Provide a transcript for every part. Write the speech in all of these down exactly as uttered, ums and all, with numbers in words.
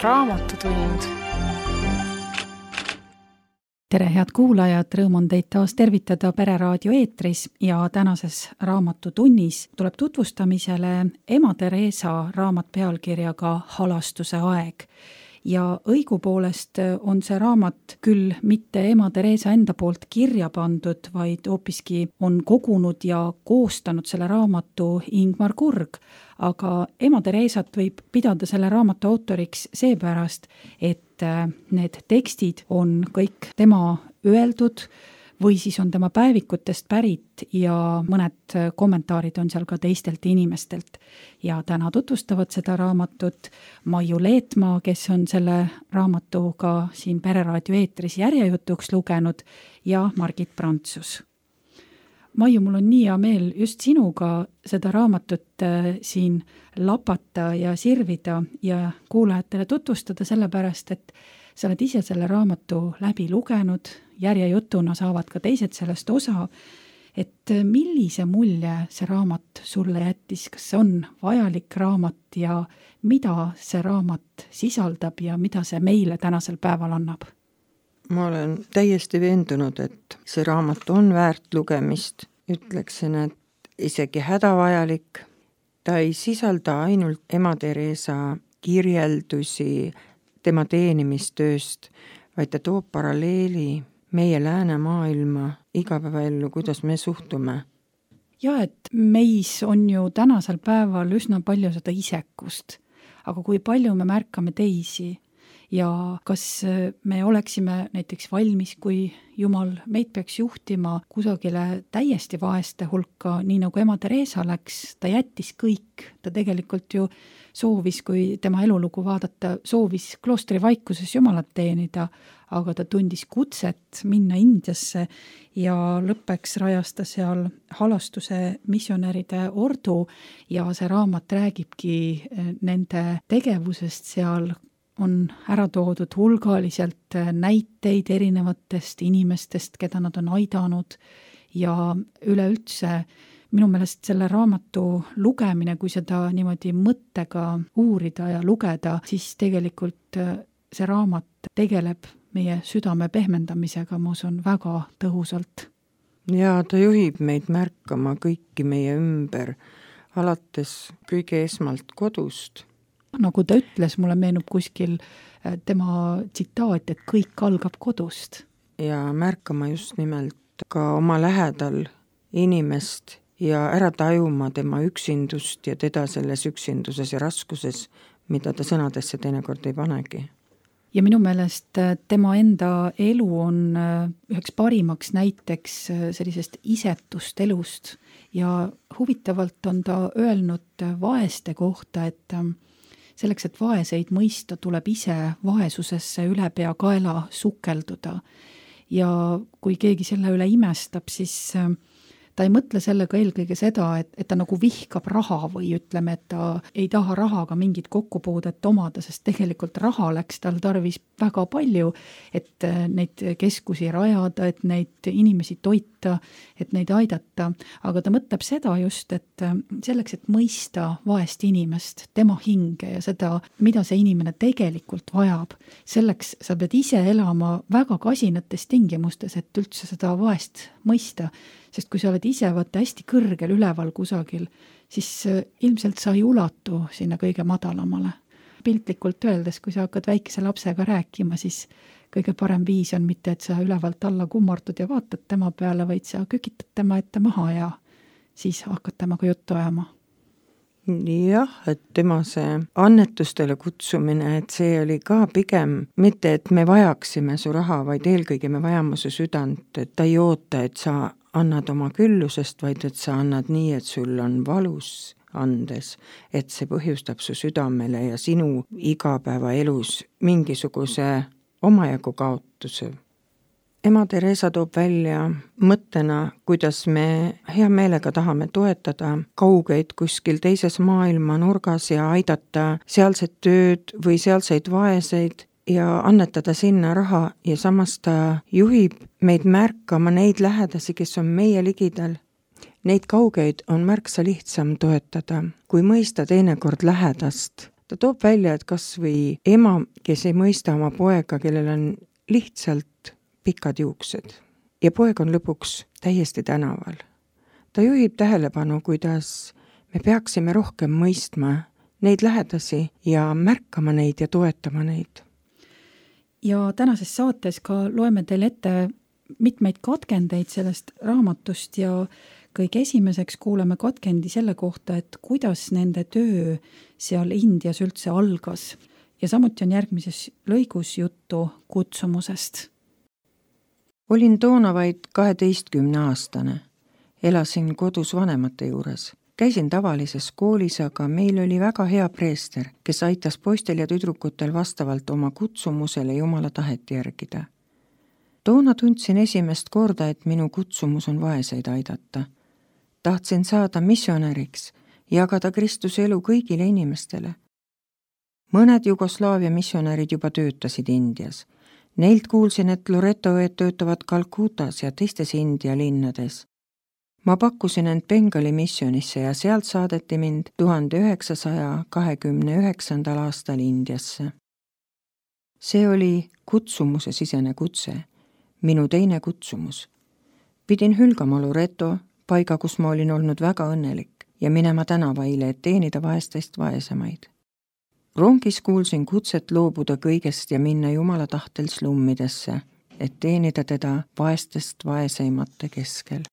Raamatutund. Tere, head kuulajad, rõõm on teid taas tervitada Pereraadio eetris ja tänases Raamatutunnis tuleb tutvustamisele Ema Teresa raamat pealkirjaga Halastuse aeg. Ja õigupoolest on see raamat küll mitte Ema Teresa enda poolt kirja pandud, vaid hoopiski on kogunud ja koostanud selle raamatu Ingmar Kurg, aga Ema Teresat võib pidada selle raamatu autoriks seepärast, et need tekstid on kõik tema öeldud või siis on tema päevikutest pärit ja mõned kommentaarid on seal ka teistelt inimestelt. Ja täna tutvustavad seda raamatut Maiu Leetmaa, kes on selle raamatu ka siin Pereraadio eetris järjejutuks lugenud, ja Margit Prantsus. Maiu, mul on nii hea meel just sinuga seda raamatut siin lapata ja sirvida ja kuulajatele tutvustada, sellepärast, et sa oled ise selle raamatu läbi lugenud, järjejutuna saavad ka teised sellest osa, et millise mulje see raamat sulle jättis, kas see on vajalik raamat ja mida see raamat sisaldab ja mida see meile tänasel päeval annab? Ma olen täiesti veendunud, et see raamat on väärt lugemist. Ütleksin, et isegi hädavajalik. Ta ei sisalda ainult Ema Teresa kirjeldusi tema teenimistööst, vaid ta toob paralleeli meie läänemaailma igapäevaellu, kuidas me suhtume. Ja, et meis on ju tänasel päeval üsna palju seda isekust, aga kui palju me märkame teisi ja kas me oleksime näiteks valmis, kui Jumal meid peaks juhtima kusagile täiesti vaeste hulka, nii nagu Ema Teresa läks, ta jättis kõik, ta tegelikult ju soovis, kui tema elulugu vaadata, soovis kloostri vaikuses Jumalat teenida, aga ta tundis kutset minna Indiasse ja lõppeks rajas ta seal halastuse missionäride ordu ja see raamat räägibki nende tegevusest seal, on ära toodud hulgaliselt näiteid erinevatest inimestest, keda nad on aidanud ja üleüldse minu meelest selle raamatu lugemine, kui seda niimoodi mõttega uurida ja lugeda, siis tegelikult see raamat tegeleb meie südame pehmendamisega, ma usun, väga tõhusalt. Ja ta juhib meid märkama kõiki meie ümber, alates kõige esmalt kodust. Nagu ta ütles, mulle meenub kuskil tema tsitaat, et kõik algab kodust. Ja märkama just nimelt ka oma lähedal inimest ja ära tajuma tema üksindust ja teda selles üksinduses ja raskuses, mida ta sõnadesse teinekord ei panegi. Ja minu meelest tema enda elu on üheks parimaks näiteks sellisest isetust elust ja huvitavalt on ta öelnud vaeste kohta, et selleks, et vaeseid mõista, tuleb ise vaesusesse üle pea kaela sukelduda. Ja kui keegi selle üle imestab, siis ta ei mõtle sellega eelkõige seda, et, et ta nagu vihkab raha või ütleme, et ta ei taha rahaga mingit kokkupuudet omada, sest tegelikult raha läks tal tarvis väga palju, et neid keskusi rajada, et neid inimesi toita, et neid aidata. Aga ta mõtleb seda just, et selleks, et mõista vaest inimest, tema hinge ja seda, mida see inimene tegelikult vajab, selleks sa pead ise elama väga kasinates tingimustes, et üldse seda vaest mõista. Sest kui sa oled ise vaata hästi kõrgel üleval kusagil, siis ilmselt sa ei ulatu sinna kõige madalamale. Piltlikult öeldes, kui sa hakkad väikese lapsega rääkima, siis kõige parem viis on mitte, et sa ülevalt alla kummardud ja vaatad tema peale, vaid sa kükitad tema ette maha ja siis hakkad temaga juttu ajama. Jah, et tema see annetustele kutsumine, et see oli ka pigem mitte, et me vajaksime su raha, vaid eelkõige me vajame su südant, et ta ei oota, et sa annad oma küllusest, vaid et sa annad nii, et sul on valus andes, et see põhjustab su südamele ja sinu igapäevaelus mingisuguse omajagu kaotuse. Ema Teresa toob välja mõttena, kuidas me hea meelega tahame toetada kaugeid kuskil teises maailma nurgas ja aidata sealset tööd või sealseid vaeseid ja annetada sinna raha ja samas ta juhib meid märkama neid lähedasi, kes on meie ligidal. Neid kaugeid on märksa lihtsam toetada, kui mõista teinekord lähedast ta toob välja, et kas või ema, kes ei mõista oma poega, kellel on lihtsalt pikad juuksed ja poeg on lõpuks täiesti tänaval. Ta juhib tähelepanu, kuidas me peaksime rohkem mõistma neid lähedasi ja märkama neid ja toetama neid. Ja tänases saates ka loeme teile ette mitmeid katkendeid sellest raamatust ja kõige esimeseks kuuleme katkendi selle kohta, et kuidas nende töö seal Indias üldse algas. Ja samuti on järgmises lõigus juttu kutsumusest. Olin toona vaid kaheteistkümne aastane. Elasin kodus vanemate juures. Käisin tavalises koolis, aga meil oli väga hea preester, kes aitas poistel ja tüdrukutel vastavalt oma kutsumusele Jumala tahet järgida. Toona tundsin esimest korda, et minu kutsumus on vaeseid aidata. Tahtsin saada missionäriks, jagada Kristuse elu kõigile inimestele. Mõned Jugoslaavia missionärid juba töötasid Indias. Neilt kuulsin, et Loreto õed töötavad Kalkutas ja teistes India linnades. Ma pakkusin end Bengali missionisse ja sealt saadeti mind tuhande üheksasaja kahekümne üheksandal aastal Indiasse. See oli kutsumuse sisene kutse, minu teine kutsumus. Pidin hülgama Loreto, paiga, kus ma olin olnud väga õnnelik, ja minema tänavaile, et teenida vaestest vaesemaid. Rongis kuulsin kutset loobuda kõigest ja minna Jumala tahtel slummidesse, et teenida teda vaestest vaeseimate keskel.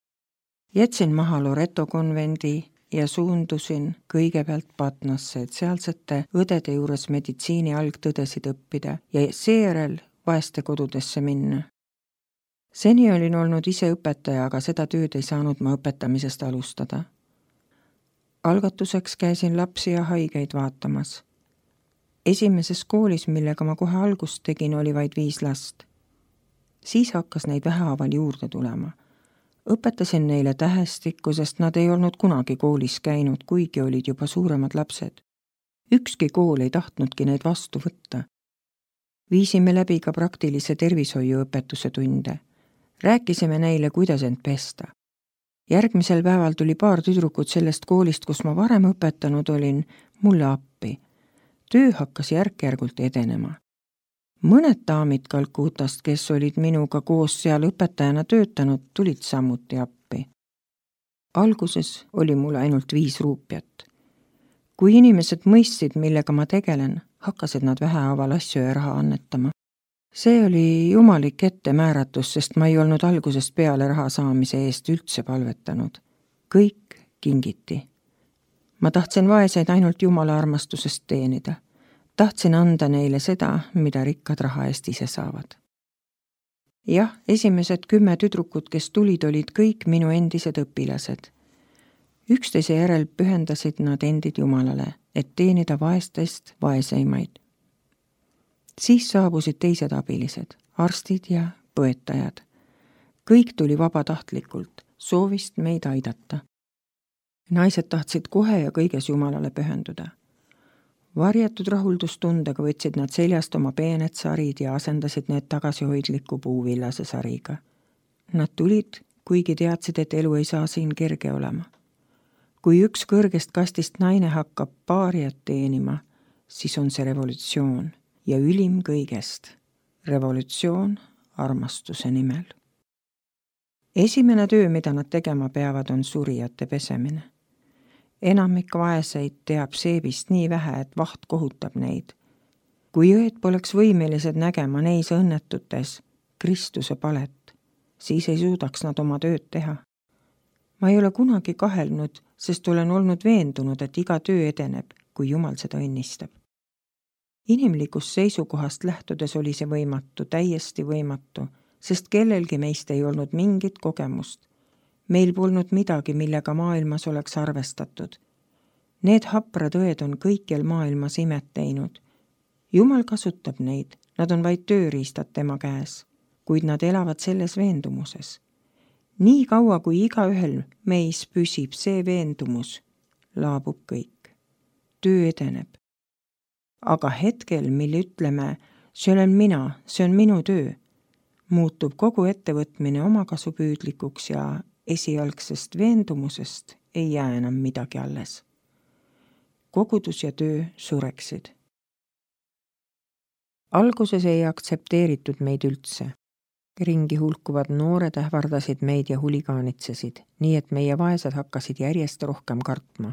Jätsin maha Loreto konvendi ja suundusin kõigepealt Patnasse, et sealsete õdede juures meditsiini algtõdesid õppida ja seejärel vaeste kodudesse minna. Seni olin olnud ise õpetaja, aga seda tööd ei saanud ma õpetamisest alustada. Algatuseks käisin lapsi ja haigeid vaatamas. Esimeses koolis, millega ma kohe algust tegin, oli vaid viis last. Siis hakkas neid vähehaaval juurde tulema. Õpetasin neile tähestikku, sest nad ei olnud kunagi koolis käinud, kuigi olid juba suuremad lapsed. Ükski kool ei tahtnudki neid vastu võtta. Viisime läbi ka praktilise tervishoiuõpetuse tunde. Rääkisime neile, kuidas end pesta. Järgmisel päeval tuli paar tüdrukut sellest koolist, kus ma varem õpetanud olin, mulle appi. Töö hakkas järk-järgult edenema. Mõned daamid Kalkutast, kes olid minuga koos seal õpetajana töötanud, tulid samuti appi. Alguses oli mul ainult viis ruupjat. Kui inimesed mõistsid, millega ma tegelen, hakkasid nad vähehaaval asju ja raha annetama. See oli jumalik ettemääratus, sest ma ei olnud algusest peale raha saamise eest üldse palvetanud. Kõik kingiti. Ma tahtsin vaeseid ainult Jumala armastusest teenida. Tahtsin anda neile seda, mida rikkad raha eest ise saavad. Jah, esimesed kümme tüdrukut, kes tulid, olid kõik minu endised õpilased. Üksteise järel pühendasid nad endid Jumalale, et teenida vaestest vaeseimaid. Siis saabusid teised abilised, arstid ja põetajad. Kõik tuli vabatahtlikult, soovist meid aidata. Naised tahtsid kohe ja kõiges Jumalale pühenduda. Varjatud rahuldustundega võtsid nad seljast oma peened sarid ja asendasid need tagasihoidliku puuvillase sariga. Nad tulid, kuigi teadsid, et elu ei saa siin kerge olema. Kui üks kõrgest kastist naine hakkab paariat teenima, siis on see revolutsioon ja ülim kõigest. Revolutsioon armastuse nimel. Esimene töö, mida nad tegema peavad, on surijate pesemine. Enamik vaeseid teab seebist nii vähe, et vaht kohutab neid. Kui õed poleks võimelised nägema neis õnnetutes Kristuse palet, siis ei suudaks nad oma tööd teha. Ma ei ole kunagi kahelnud, sest olen olnud veendunud, et iga töö edeneb, kui Jumal seda õnnistab. Inimlikust seisukohast lähtudes oli see võimatu, täiesti võimatu, sest kellelgi meist ei olnud mingit kogemust. Meil polnud midagi, millega maailmas oleks arvestatud. Need haprad õed on kõikjal maailmas imet teinud. Jumal kasutab neid, nad on vaid tööriistad tema käes, kuid nad elavad selles veendumuses. Nii kaua, kui igaühel meis püsib see veendumus, laabub kõik. Töö edeneb. Aga hetkel, mil ütleme, see olen mina, see on minu töö, muutub kogu ettevõtmine omakasupüüdlikuks ja esialgsest veendumusest ei jää enam midagi alles. Kogudus ja töö sureksid. alguses ei aktsepteeritud meid üldse. Ringi hulkuvad noored ähvardasid meid ja huligaanitsesid, nii et meie vaesed hakkasid järjest rohkem kartma.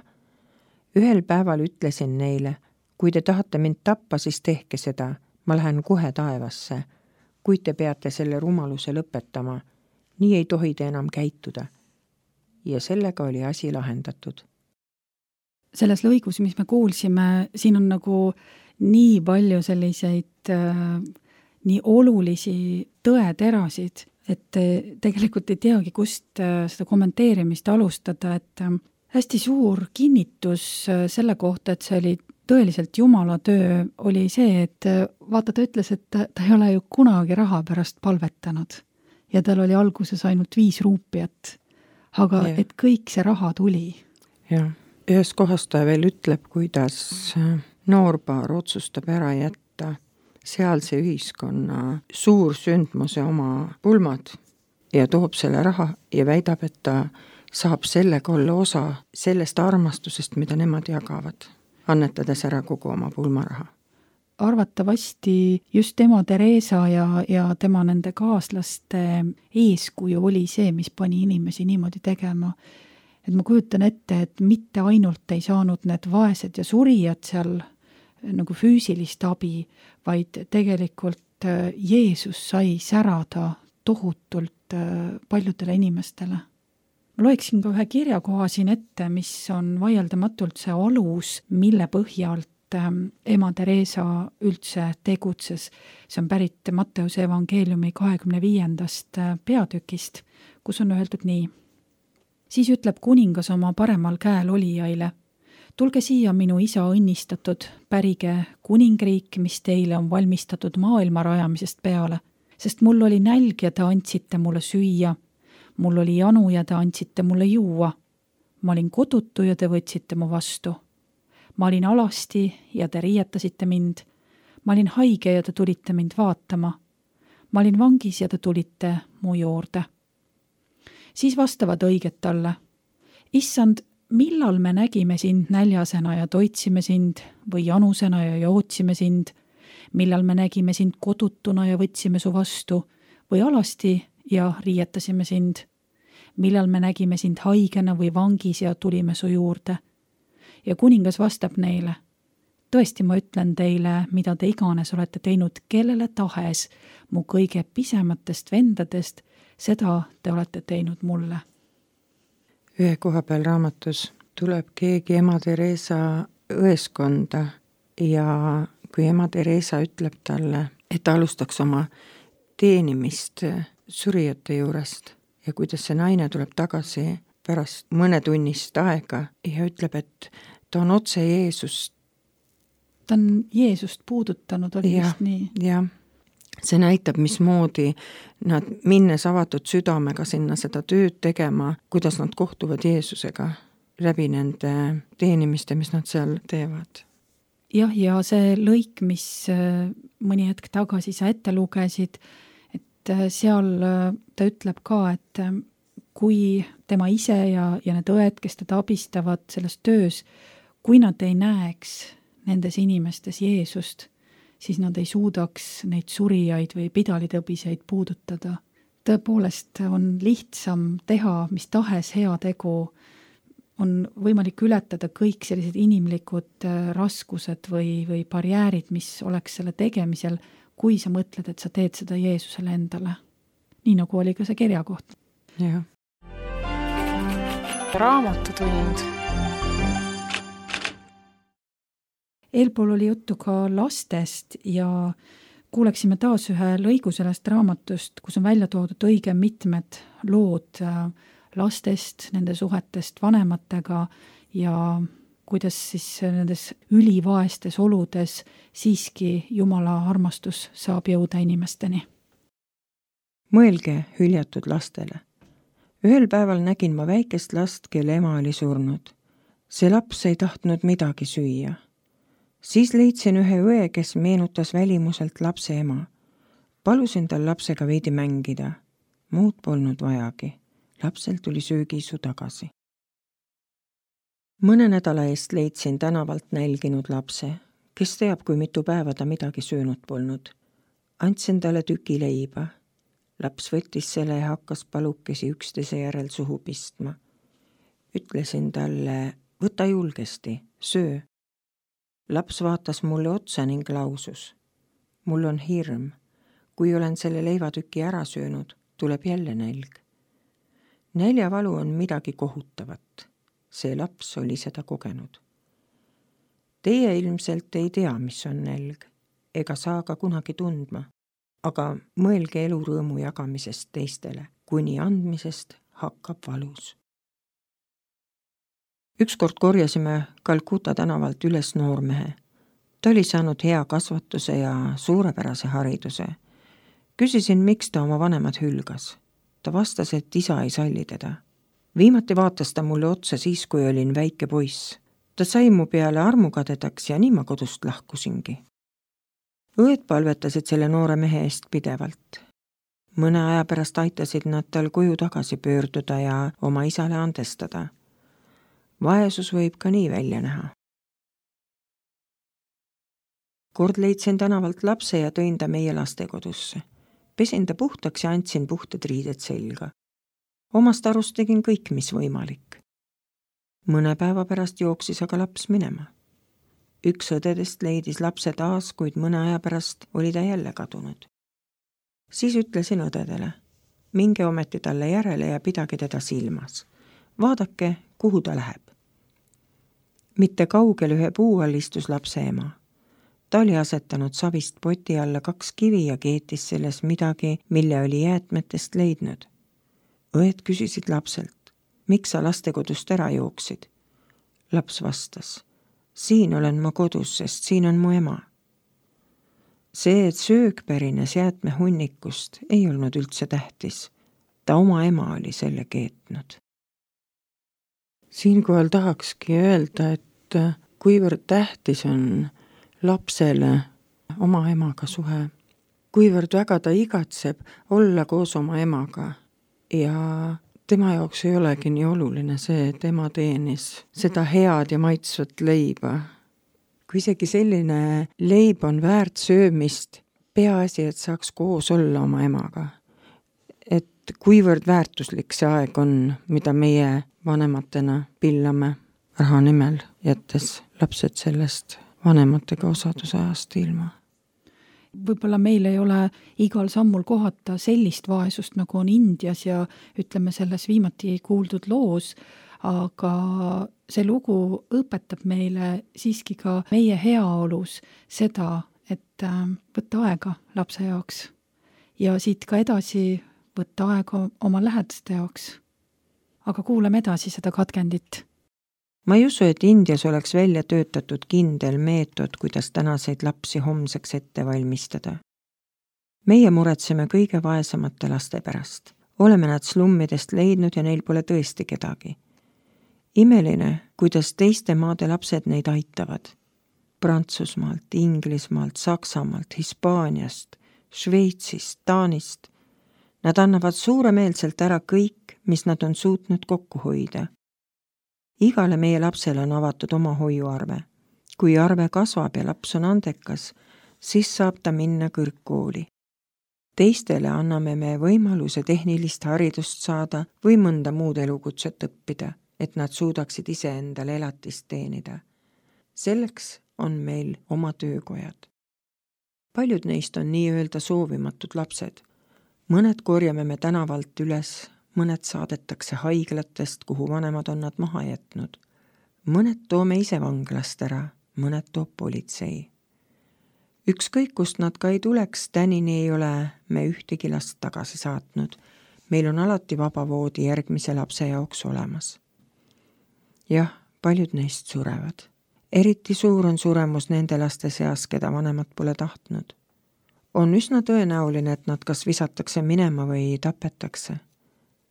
Ühel päeval ütlesin neile, kui te tahate mind tappa, siis tehke seda, ma lähen kohe taevasse, kuid te peate selle rumaluse lõpetama, nii ei tohi te enam käituda. Ja sellega oli asi lahendatud. Selles lõigus, mis me kuulsime, siin on nagu nii palju selliseid äh, nii olulisi tõeterasid, et tegelikult ei teagi, kust äh, seda kommenteerimist alustada, et äh, hästi suur kinnitus äh, selle kohta, et see oli tõeliselt Jumala töö, oli see, et äh, vaata, ta ütles, et ta, ta ei ole ju kunagi raha pärast palvetanud ja tal oli alguses ainult viis ruupiat, aga ja. Et kõik see raha tuli. Jah. Ühes kohas ta veel ütleb, kuidas noorpaar otsustab ära jätta sealse ühiskonna suur sündmuse oma pulmad ja toob selle raha ja väidab, et ta saab sellega olla osa sellest armastusest, mida nemad jagavad, annetades ära kogu oma pulmaraha. Arvatavasti just tema Teresa ja, ja tema nende kaaslaste eeskuju oli see, mis pani inimesi niimoodi tegema. Et ma kujutan ette, et mitte ainult ei saanud need vaesed ja surijad seal nagu füüsilist abi, vaid tegelikult Jeesus sai särada tohutult paljudele inimestele. Ma loeksin ka ühe kirjakoha siin ette, mis on vaieldamatult see alus, mille põhjalt ema Teresa üldse tegutses. See on pärit Matteuse evangeeliumi kahekümne viiendast peatükist, kus on öeldud nii. Siis ütleb kuningas oma paremal käel olijaile, tulge siia minu isa õnnistatud, pärige kuningriik, mis teile on valmistatud maailma rajamisest peale, sest mul oli nälg ja te andsite mulle süüa, mul oli janu ja te andsite mulle juua, ma olin kodutu ja te võtsite mu vastu. Ma olin alasti ja te riietasite mind, ma olin haige ja te tulite mind vaatama, ma olin vangis ja te tulite mu juurde. Siis vastavad õiget talle, issand, millal me nägime sind näljasena ja toitsime sind või janusena ja jootsime sind, millal me nägime sind kodutuna ja võtsime su vastu või alasti ja riietasime sind, millal me nägime sind haigena või vangis ja tulime su juurde. Ja kuningas vastab neile, tõesti ma ütlen teile, mida te iganes olete teinud kellele tahes mu kõige pisematest vendadest, seda te olete teinud mulle. Ühe koha peal raamatus tuleb keegi ema Teresa õeskonda ja kui ema Teresa ütleb talle, et alustaks oma teenimist surijate juurest ja kuidas see naine tuleb tagasi pärast mõnetunnist aega ja ütleb, et ta on otse Jeesust. Ta on Jeesust puudutanud, oli ja, vist nii. Jah, see näitab, mismoodi nad minnes avatud südamega sinna seda tööd tegema, kuidas nad kohtuvad Jeesusega läbi nende teenimiste, mis nad seal teevad. Jah, ja see lõik, mis mõni hetk tagasi sa ette lugesid, et seal ta ütleb ka, et kui tema ise ja, ja need õed, kes teda abistavad selles töös, kui nad ei näeks nendes inimestes Jeesust, siis nad ei suudaks neid surijaid või pidalitõbiseid puudutada. Tõepoolest on lihtsam teha mis tahes heategu, on võimalik ületada kõik sellised inimlikud raskused või, või barjäärid, mis oleks selle tegemisel, kui sa mõtled, et sa teed seda Jeesusele endale. Nii nagu oli ka see kirjakoht. Jah. Raamatutund. Eelpool oli juttu ka lastest ja kuuleksime taas ühe lõigu sellest raamatust, kus on välja toodud õige mitmed lood lastest, nende suhetest vanematega ja kuidas siis nendes ülivaestes oludes siiski Jumala armastus saab jõuda inimesteni. Mõelge hüljatud lastele. Ühel päeval nägin ma väikest last, kelle ema oli surnud. See laps ei tahtnud midagi süüa. Siis leidsin ühe õe, kes meenutas välimuselt lapse ema. Palusin tal lapsega veidi mängida. Muud polnud vajagi. Lapsel tuli söögiisu tagasi. Mõne nädala eest leidsin tänavalt nälginud lapse. Kes teab, kui mitu päeva ta midagi söönud polnud. Andsin talle tüki leiba. Laps võttis selle ja hakkas palukesi üksteise järel suhu pistma. Ütlesin talle, võta julgesti, söö. Laps vaatas mulle otsa ning lausus. Mul on hirm. Kui olen selle leivatüki ära söönud, tuleb jälle nälg. Näljavalu on midagi kohutavat. See laps oli seda kogenud. Teie ilmselt ei tea, mis on nälg, ega saa ka kunagi tundma, aga mõelge elurõõmu jagamisest teistele, kuni andmisest hakkab valus. Ükskord korjasime Calcutta tänavalt üles noormehe. Ta oli saanud hea kasvatuse ja suurepärase hariduse. Küsisin, miks ta oma vanemad hülgas. Ta vastas, et isa ei salli teda. Viimati vaatas ta mulle otsa siis, kui olin väike poiss. Ta sai mu peale armukadedaks ja nii ma kodust lahkusingi. Õed palvetasid selle noore mehe eest pidevalt. Mõne aja pärast aitasid nad tal koju tagasi pöörduda ja oma isale andestada. Vaesus võib ka nii välja näha. Kord leidsin tänavalt lapse ja tõin ta meie lastekodusse. Pesin ta puhtaks ja andsin puhtad riided selga. Omast arust tegin kõik, mis võimalik. Mõne päeva pärast jooksis aga laps minema. Üks õdedest leidis lapse taas, kuid mõne aja pärast oli ta jälle kadunud. Siis ütlesin õdedele, minge ometi talle järele ja pidage teda silmas. Vaadake, kuhu ta läheb. Mitte kaugel ühe puu all istus lapse ema. Ta oli asetanud savist poti alla kaks kivi ja keetis selles midagi, mille oli jäätmetest leidnud. Õed küsisid lapselt, miks sa lastekodust ära jooksid? Laps vastas, siin olen ma kodus, sest siin on mu ema. See, et söög pärines jäätmehunnikust, ei olnud üldse tähtis. Ta oma ema oli selle keetnud. Siinkohal tahakski öelda, et kuivõrd tähtis on lapsele oma emaga suhe, kuivõrd väga ta igatseb olla koos oma emaga ja tema jaoks ei olegi nii oluline see, et ema teenis seda head ja maitsvat leiba. Kui isegi selline leib on väärt söömist, peaasi, et saaks koos olla oma emaga. Et kuivõrd väärtuslik see aeg on, mida meie vanematena pillame raha nimel, jättes lapsed sellest vanematega osaduse ajast ilma. Võib-olla meil ei ole igal sammul kohata sellist vaesust, nagu on Indias ja ütleme selles viimati kuuldud loos, aga see lugu õpetab meile siiski ka meie heaolus seda, et võtta aega lapse jaoks ja siit ka edasi võtta aega oma lähedaste jaoks. Aga kuulame edasi seda katkendit. Ma ei usu, et Indias oleks välja töötatud kindel meetod, kuidas tänaseid lapsi homseks ette valmistada. Meie muretseme kõige vaesemate laste pärast. Oleme nad slummidest leidnud ja neil pole tõesti kedagi. Imeline, kuidas teiste maade lapsed neid aitavad. Prantsusmaalt, Inglismaalt, Saksamaalt, Hispaaniast, Šveitsist, Taanist. Nad annavad suuremeelselt ära kõik, mis nad on suutnud kokku hoida. Igale meie lapsele on avatud oma hoiuarve. Kui arve kasvab ja laps on andekas, siis saab ta minna kõrgkooli. Teistele anname me võimaluse tehnilist haridust saada või mõnda muud elukutset õppida, et nad suudaksid ise endale elatist teenida. Selleks on meil oma töökojad. Paljud neist on nii-öelda soovimatud lapsed. Mõned korjame me tänavalt üles, mõned saadetakse haiglatest, kuhu vanemad on nad maha jätnud. Mõned toome ise vanglast ära, mõned toob politsei. Ükskõik, kust nad ka ei tuleks, tänini ei ole me ühtegi last tagasi saatnud. Meil on alati vaba voodi järgmise lapse jaoks olemas. Jah, paljud neist surevad. Eriti suur on suremus nende laste seas, keda vanemad pole tahtnud. On üsna tõenäoline, et nad kas visatakse minema või tapetakse.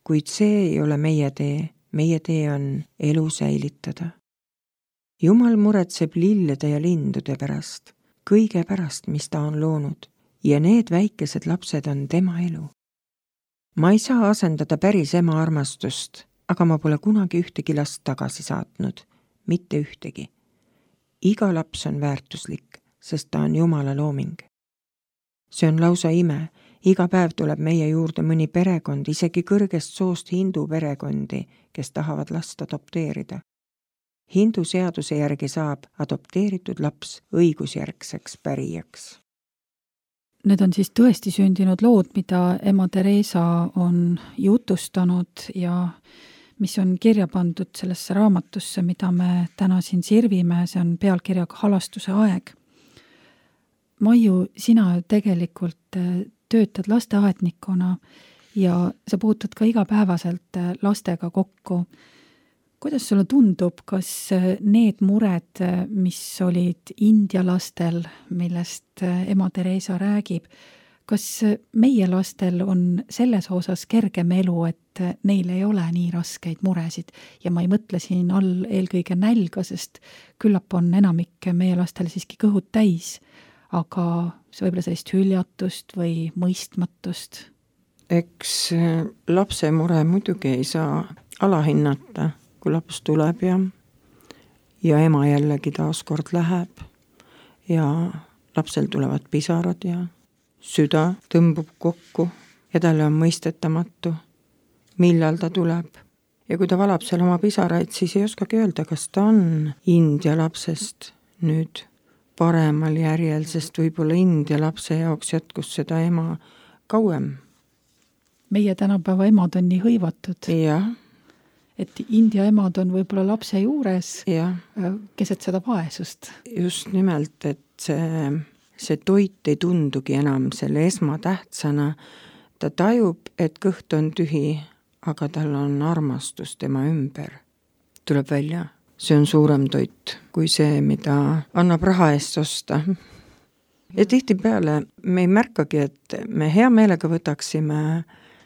Kuid see ei ole meie tee, meie tee on elu säilitada. Jumal muretseb lillede ja lindude pärast, kõige pärast, mis ta on loonud, ja need väikesed lapsed on tema elu. Ma ei saa asendada päris ema armastust, aga ma pole kunagi ühtegi last tagasi saatnud, mitte ühtegi. iga laps on väärtuslik, sest ta on Jumala looming. See on lausa ime. Iga päev tuleb meie juurde mõni perekond, isegi kõrgest soost hindu perekondi, kes tahavad last adopteerida. Hindu seaduse järgi saab adopteeritud laps õigusjärgseks pärijaks. Need on siis tõesti sündinud lood, mida ema Theresa on jutustanud ja mis on kirja pandud sellesse raamatusse, mida me täna siin sirvime, see on pealkirjaga Halastuse aeg. Maiu, sina tegelikult töötad lasteaednikuna ja sa puutud ka igapäevaselt lastega kokku. Kuidas sulle tundub, kas need mured, mis olid India lastel, millest ema Theresa räägib, kas meie lastel on selles osas kergem elu, et neil ei ole nii raskeid muresid? Ja ma ei mõtle siin all eelkõige nälga, sest küllap on enamik meie lastel siiski kõhud täis, aga see võib-olla sellist hüljatust või mõistmatust. Eks lapse mure muidugi ei saa alahinnata, kui laps tuleb ja, ja ema jällegi taaskord läheb ja lapsel tulevad pisarad ja süda tõmbub kokku ja talle on mõistetamatu, millal ta tuleb. Ja kui ta valab seal oma pisaraid, siis ei oskagi öelda, kas ta on India lapsest nüüd paremal järjel, sest võib-olla India lapse jaoks jätkus seda ema kauem. Meie tänapäeva emad on nii hõivatud. Jah. Et India emad on võib-olla lapse juures ja. Keset seda vaesust. Just nimelt, et see, see toit ei tundugi enam selle esmatähtsana. Ta tajub, et kõht on tühi, aga tal on armastus tema ümber. Tuleb välja. See on suurem toit kui see, mida annab raha eest osta. Ja tihtipeale me ei märkagi, et me hea meelega võtaksime,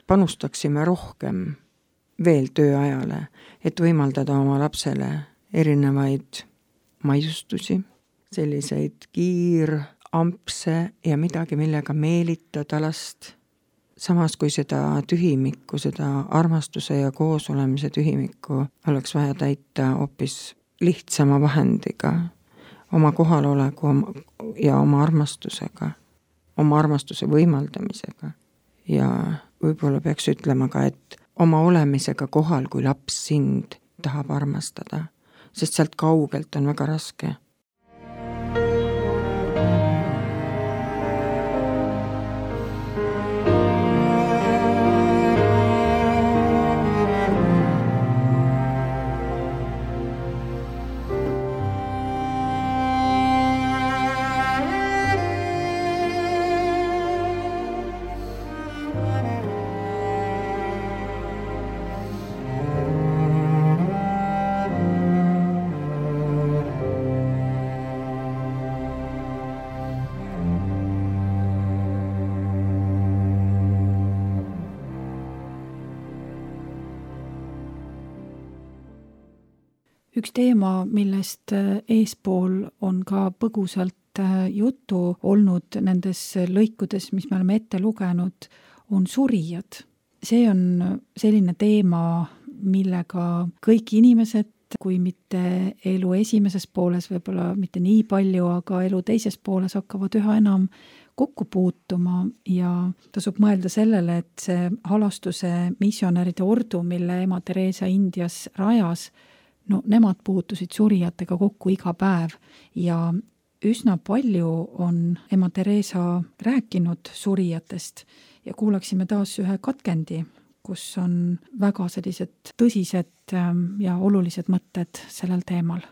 panustaksime rohkem veel tööajale, et võimaldada oma lapsele erinevaid maiustusi, selliseid kiirampse ja midagi, millega meelitada last. Samas kui seda tühimikku, seda armastuse ja koosolemise tühimikku oleks vaja täita hoopis lihtsama vahendiga, oma kohaloleku ja oma armastusega, oma armastuse võimaldamisega. Ja võib-olla peaks ütlema ka, et oma olemisega kohal, kui laps sind tahab armastada, sest sealt kaugelt on väga raske. Üks teema, millest eespool on ka põgusalt juttu olnud nendes lõikudes, mis me oleme ette lugenud, on surijad. See on selline teema, millega kõik inimesed, kui mitte elu esimeses pooles, võib-olla mitte nii palju, aga elu teises pooles hakkavad üha enam kokku puutuma ja tasub mõelda sellele, et see halastuse missionäride ordu, mille ema Theresa Indias rajas, no nemad puutusid surijatega kokku iga päev ja üsna palju on ema Theresa rääkinud surijatest ja kuulaksime taas ühe katkendi, kus on väga sellised tõsised ja olulised mõtted sellel teemal.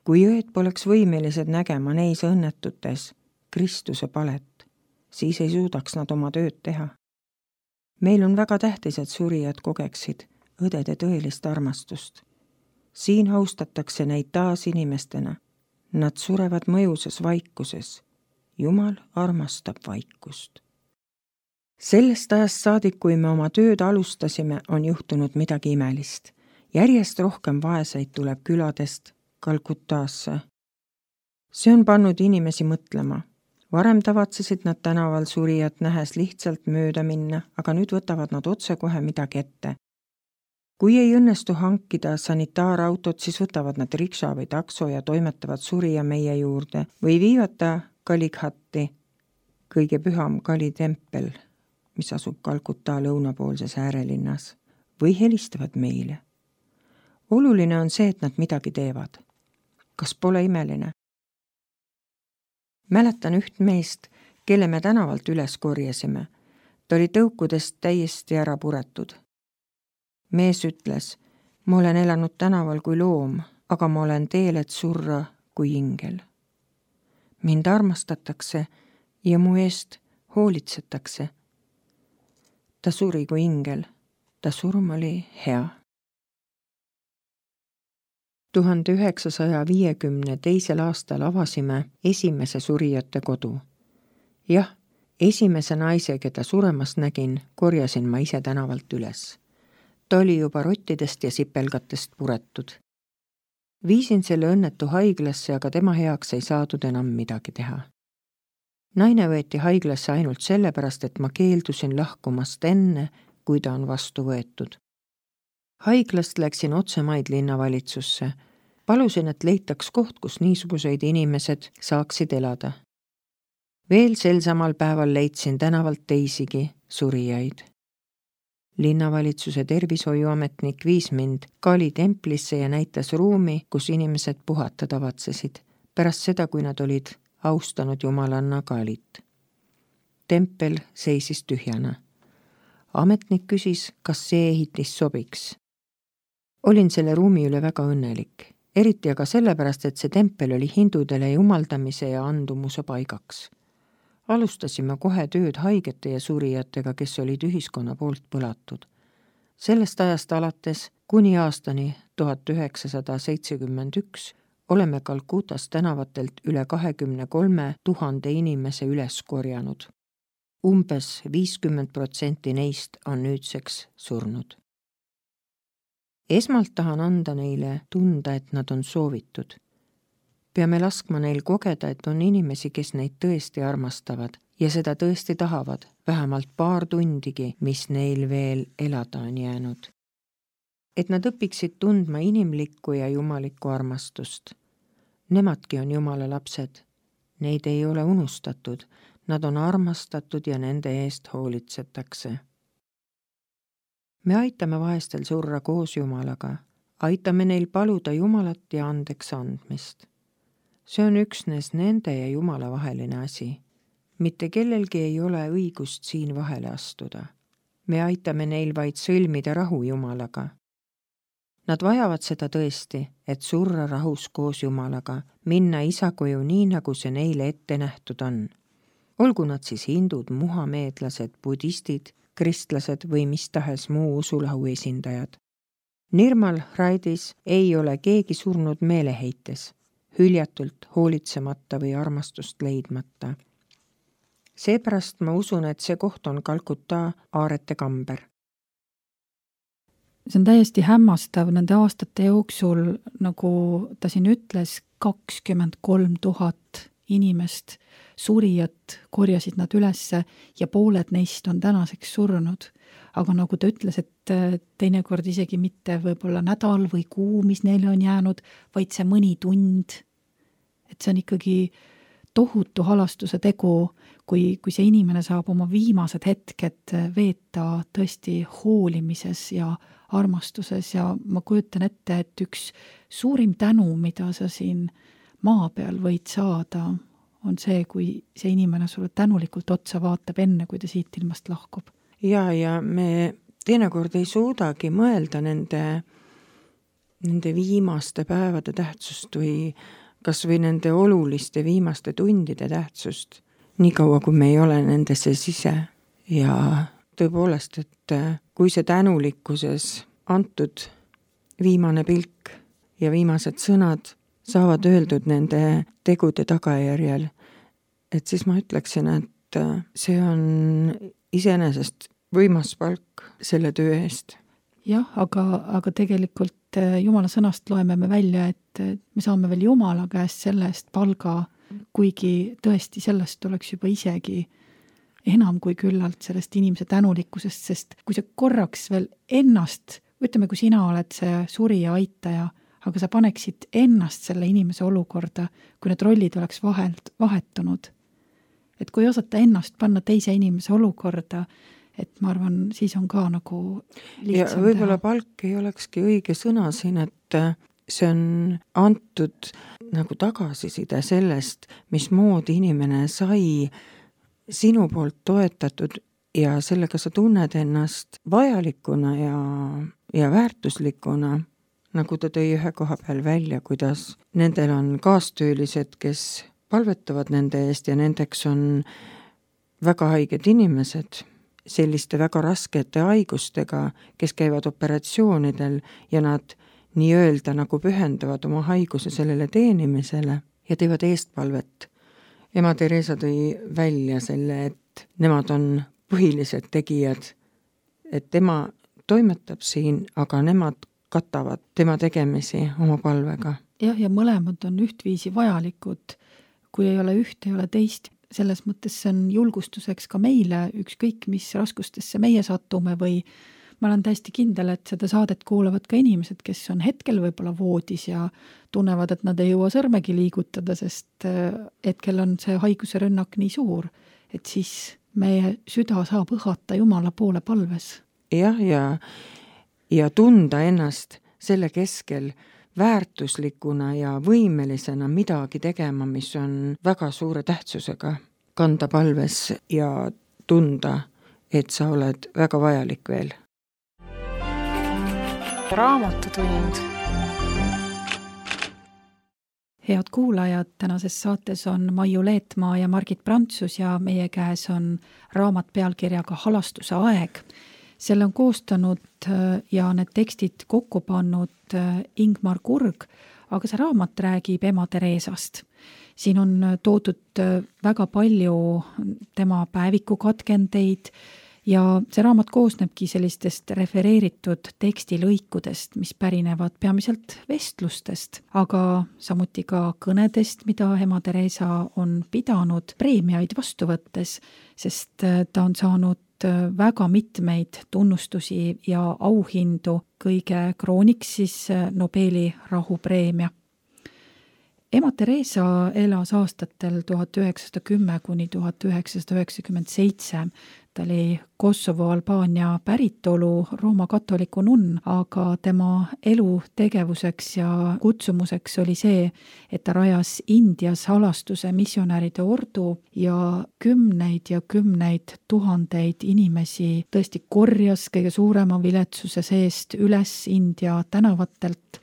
Kui õed poleks võimelised nägema neis õnnetutes Kristuse palet, siis ei suudaks nad oma tööd teha. Meil on väga tähtis, et surijad kogeksid õdede tõelist armastust. Siin austatakse neid taas inimestena. Nad surevad mõjusas vaikuses. Jumal armastab vaikust. Sellest ajast saadik, kui me oma tööd alustasime, on juhtunud midagi imelist. Järjest rohkem vaeseid tuleb küladest Kalkutasse. See on pannud inimesi mõtlema. Varem tavatsesid nad tänaval surijat nähes lihtsalt mööda minna, aga nüüd võtavad nad otse kohe midagi ette. kui ei õnnestu hankida sanitaarautot, siis võtavad nad rikša või takso ja toimetavad surija meie juurde või viivad ta Kalighatti, kõige püham Kali tempel, mis asub Kalkuta lõunapoolses äärelinnas, või helistavad meile. Oluline on see, et nad midagi teevad. Kas pole imeline? Mäletan üht meest, kelle me tänavalt üles korjasime. Ta oli tõukudest täiesti ära puretud. Mees ütles, ma olen elanud tänaval kui loom, aga ma olen teel, et surra kui ingel. Mind armastatakse ja mu eest hoolitsetakse. Ta suri kui ingel. Ta surm oli hea. tuhande üheksasaja viiekümne teisel aastal avasime esimese surijate kodu. Jah, esimese naise, keda suremas nägin, korjasin ma ise tänavalt üles. Ta oli juba rottidest ja sipelgatest puretud. Viisin selle õnnetu haiglasse, aga tema heaks ei saadud enam midagi teha. Naine võeti haiglasse ainult sellepärast, et ma keeldusin lahkumast enne, kui ta on vastu võetud. Haiglast läksin otsemaid linnavalitsusse. Palusin, et leitaks koht, kus niisuguseid inimesed saaksid elada. Veel sel samal päeval leidsin tänavalt teisigi surijaid. Linnavalitsuse tervishoiuametnik viis mind Kali templisse ja näitas ruumi, kus inimesed puhata tavatsesid, pärast seda, kui nad olid austanud jumalanna Kalit. Tempel seisis tühjana. Ametnik küsis, kas see ehitis sobiks. Olin selle ruumi üle väga õnnelik, eriti aga sellepärast, et see tempel oli hindudele jumaldamise ja andumuse paigaks. Alustasime kohe tööd haigete ja surijatega, kes olid ühiskonna poolt põlatud. Sellest ajast alates kuni aastani tuhat üheksasada seitsekümmend üks oleme Kalkutas tänavatelt üle kahekümne kolme tuhande inimese üles korjanud. Umbes viiskümmend protsenti neist on nüüdseks surnud. Esmalt tahan anda neile tunda, et nad on soovitud. Peame laskma neil kogeda, et on inimesi, kes neid tõesti armastavad ja seda tõesti tahavad, vähemalt paar tundigi, mis neil veel elada on jäänud. Et nad õpiksid tundma inimlikku ja jumalikku armastust. Nemadki on Jumala lapsed. Neid ei ole unustatud. Nad on armastatud ja nende eest hoolitsetakse. Me aitame vaestel surra koos Jumalaga. Aitame neil paluda Jumalat ja andeks andmist. See on üksnes nende ja Jumala vaheline asi. Mitte kellelgi ei ole õigust siin vahele astuda. Me aitame neil vaid sõlmida rahu Jumalaga. Nad vajavad seda tõesti, et surra rahus koos Jumalaga, minna isa koju nii, nagu see neile ette nähtud on. Olgu nad siis hindud, muhameedlased, budistid, kristlased või mis tahes muu usulahu esindajad. Nirmal Raidis ei ole keegi surnud meeleheites, hüljatult, hoolitsemata või armastust leidmata. Seepärast ma usun, et see koht on Kalkuta aarete kamber. See on täiesti hämmastav nende aastate jooksul, nagu ta siin ütles, kakskümmend kolm tuhat inimest, surijat korjasid nad ülesse ja pooled neist on tänaseks surnud. Aga nagu ta ütles, et teinekord isegi mitte võib-olla nädal või kuu, mis neile on jäänud, vaid see mõni tund. Et see on ikkagi tohutu halastuse tegu, kui, kui see inimene saab oma viimased hetked veeta tõesti hoolimises ja armastuses ja ma kujutan ette, et üks suurim tänu, mida sa siin maa peal võid saada, on see, kui see inimene sulle tänulikult otsa vaatab enne, kui ta siit ilmast lahkub. Ja, ja me teinekord ei suudagi mõelda nende, nende viimaste päevade tähtsust või kas või nende oluliste viimaste tundide tähtsust, nii kaua kui me ei ole nendesse sise. Ja tõepoolest, et kui see tänulikkuses antud viimane pilk ja viimased sõnad saavad öeldud nende tegude tagajärjel, et siis ma ütleksin, et see on iseenesest võimas palk selle töö eest. Jah, aga, aga tegelikult Jumala sõnast loeme me välja, et me saame veel Jumala käest selle eest palga, kuigi tõesti sellest oleks juba isegi enam kui küllalt sellest inimese tänulikkusest, sest kui sa korraks veel ennast ütleme, kui sina oled see surija aitaja, aga sa paneksid ennast selle inimese olukorda, kui need rollid oleks vahelt, vahetunud. Et kui osata ennast panna teise inimese olukorda, et ma arvan, siis on ka nagu lihtsam ja võib-olla teha. Palk ei olekski õige sõna siin, et see on antud nagu tagasiside sellest, mismoodi inimene sai sinu poolt toetatud ja sellega sa tunned ennast vajalikuna ja, ja väärtuslikuna, nagu ta tõi ühe koha peal välja, kuidas nendel on kaastöölised, kes palvetavad nende eest ja nendeks on väga haiged inimesed, selliste väga raskete haigustega, kes käivad operatsioonidel ja nad nii-öelda nagu pühendavad oma haiguse sellele teenimisele ja teevad eestpalvet. Ema Teresa tõi välja selle, et nemad on põhilised tegijad, et tema toimetab siin, aga nemad katavad tema tegemisi oma palvega. Jah, ja mõlemad on ühtviisi vajalikud. Kui ei ole üht, ei ole teist. Selles mõttes see on julgustuseks ka meile, ükskõik mis raskustesse meie satume või ma olen täiesti kindel, et seda saadet kuulavad ka inimesed, kes on hetkel võib-olla voodis ja tunnevad, et nad ei jõua sõrmegi liigutada, sest hetkel on see haiguse rünnak nii suur, et siis meie süda saab õhata Jumala poole palves. Jah, ja, ja tunda ennast selle keskel väärtuslikuna ja võimelisena midagi tegema, mis on väga suure tähtsusega kanda palves ja tunda, et sa oled väga vajalik veel. Raamatutund. Head kuulajad, tänases saates on Maiu Leetmaa ja Margit Prantsus ja meie käes on raamat pealkirjaga Halastuse aeg. Selle on koostanud ja need tekstid kokku pannud Ingmar Kurg, aga see raamat räägib ema Teresast. Siin on toodud väga palju tema päevikukatkendeid ja see raamat koosnebki sellistest refereeritud tekstilõikudest, mis pärinevad peamiselt vestlustest, aga samuti ka kõnedest, mida ema Teresa on pidanud preemiaid vastu võttes, sest ta on saanud väga mitmeid tunnustusi ja auhindu, kõige krooniks siis Nobeli rahupreemia. Ema Teresa elas aastatel tuhat üheksasada kümme kuni tuhat üheksasada üheksakümmend seitse. Ta oli Kosovo Albaania päritolu Rooma katoliku nunn, aga tema elu tegevuseks ja kutsumuseks oli see, et ta rajas Indias halastuse missionäride ordu ja kümneid ja kümneid tuhandeid inimesi tõesti korjas kõige suurema viletsuse seest üles India tänavatelt.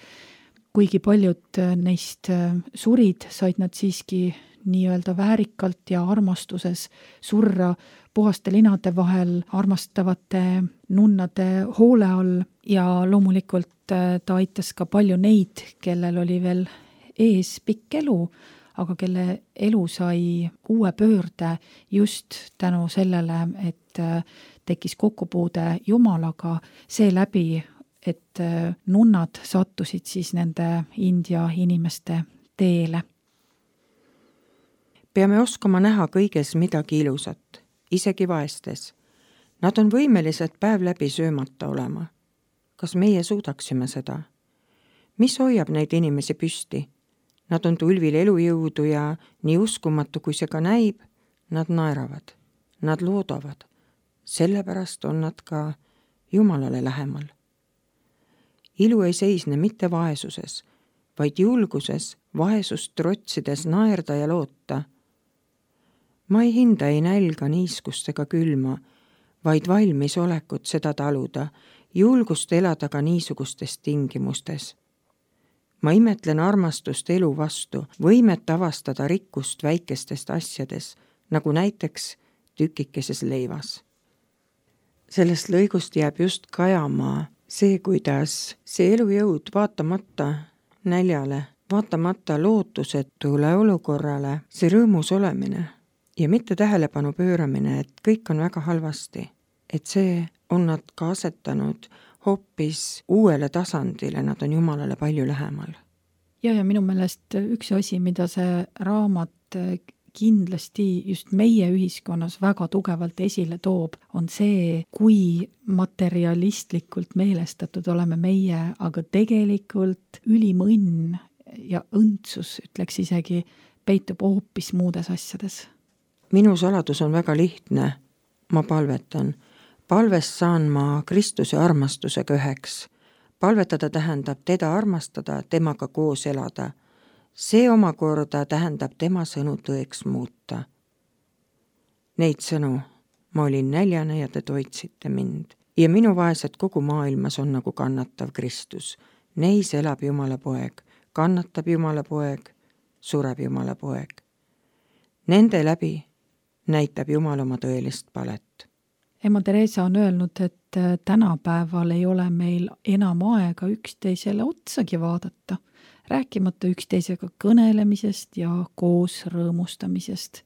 Kuigi paljud neist surid, said nad siiski nii-öelda väärikalt ja armastuses surra puhaste linade vahel armastavate nunnade hoole all ja loomulikult ta aitas ka palju neid, kellel oli veel ees pikk elu, aga kelle elu sai uue pöörde just tänu sellele, et tekkis kokkupuude Jumalaga seeläbi, et nunnad sattusid siis nende India inimeste teele. Peame oskama näha kõiges midagi ilusat, isegi vaestes. Nad on võimelised päev läbi söömata olema. Kas meie suudaksime seda? Mis hoiab neid inimesi püsti? Nad on tulvil elujõudu ja nii uskumatu, kui see ka näib, nad naeravad, nad loodavad. Sellepärast on nad ka Jumalale lähemal. Ilu ei seisne mitte vaesuses, vaid julguses, vaesust trotsides naerda ja loota. Ma ei hinda ei nälga, niiskust ega külma, vaid valmis olekut seda taluda, julgust elada ka niisugustes tingimustes. Ma imetlen armastust elu vastu, võimet avastada rikkust väikestest asjades, nagu näiteks tükikeses leivas. Sellest lõigust jääb just kajama see, kuidas see elujõud vaatamata näljale, vaatamata lootusetule olukorrale, see rõõmus olemine ja mitte tähelepanu pööramine, et kõik on väga halvasti, et see on nad ka asetanud hoopis uuele tasandile, nad on Jumalale palju lähemal. Ja, ja minu meelest üks asi, mida see raamat kindlasti just meie ühiskonnas väga tugevalt esile toob, on see, kui materialistlikult meelestatud oleme meie, aga tegelikult ülim õnn ja õndsus, ütleks isegi, peitub hoopis muudes asjades. Minu saladus on väga lihtne. Ma palvetan. Palvest saan ma Kristuse armastusega üheks. Palvetada tähendab teda armastada, temaga koos elada. See omakorda tähendab tema sõnu tõeks muuta. Neid sõnu ma olin näljane ja te toitsite mind. Ja minu vaesed kogu maailmas on nagu kannatav Kristus. Neis elab Jumala poeg, kannatab Jumala poeg, sureb Jumala poeg. Nende läbi näitab Jumal oma tõelist palet. Ema Teresa on öelnud, et tänapäeval ei ole meil enam aega üksteisele otsagi vaadata, rääkimata üksteisega kõnelemisest ja koos rõõmustamisest.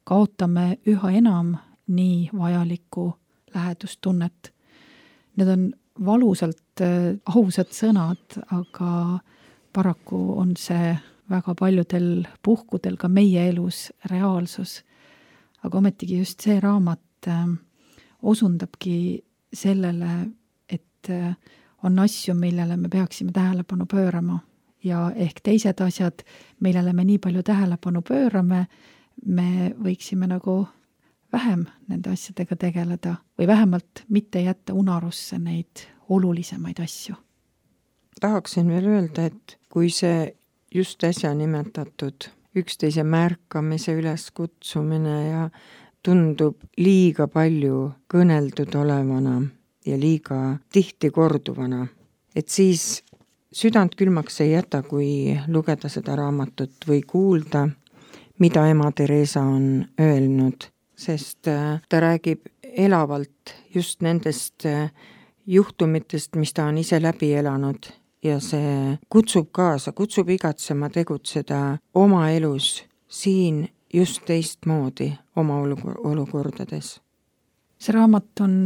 Kaotame üha enam nii vajalikku lähedustunnet. Need on valusalt ausad sõnad, aga paraku on see väga paljudel puhkudel ka meie elus reaalsus. Aga ometigi just see raamat osundabki sellele, et on asju, millele me peaksime tähelepanu pöörama ja ehk teised asjad, millele me nii palju tähelepanu pöörame, me võiksime nagu vähem nende asjadega tegeleda või vähemalt mitte jätta unarusse neid olulisemaid asju. Tahaksin veel öelda, et kui see just äsja nimetatud üksteise märkamise üleskutsumine ja tundub liiga palju kõneldud olevana ja liiga tihti korduvana, et siis südant külmaks ei jäta, kui lugeda seda raamatut või kuulda, mida ema Teresa on öelnud, sest ta räägib elavalt just nendest juhtumitest, mis ta on ise läbi elanud ja see kutsub kaasa, kutsub igatsema tegutseda oma elus siin just teistmoodi oma olukordades. See raamat on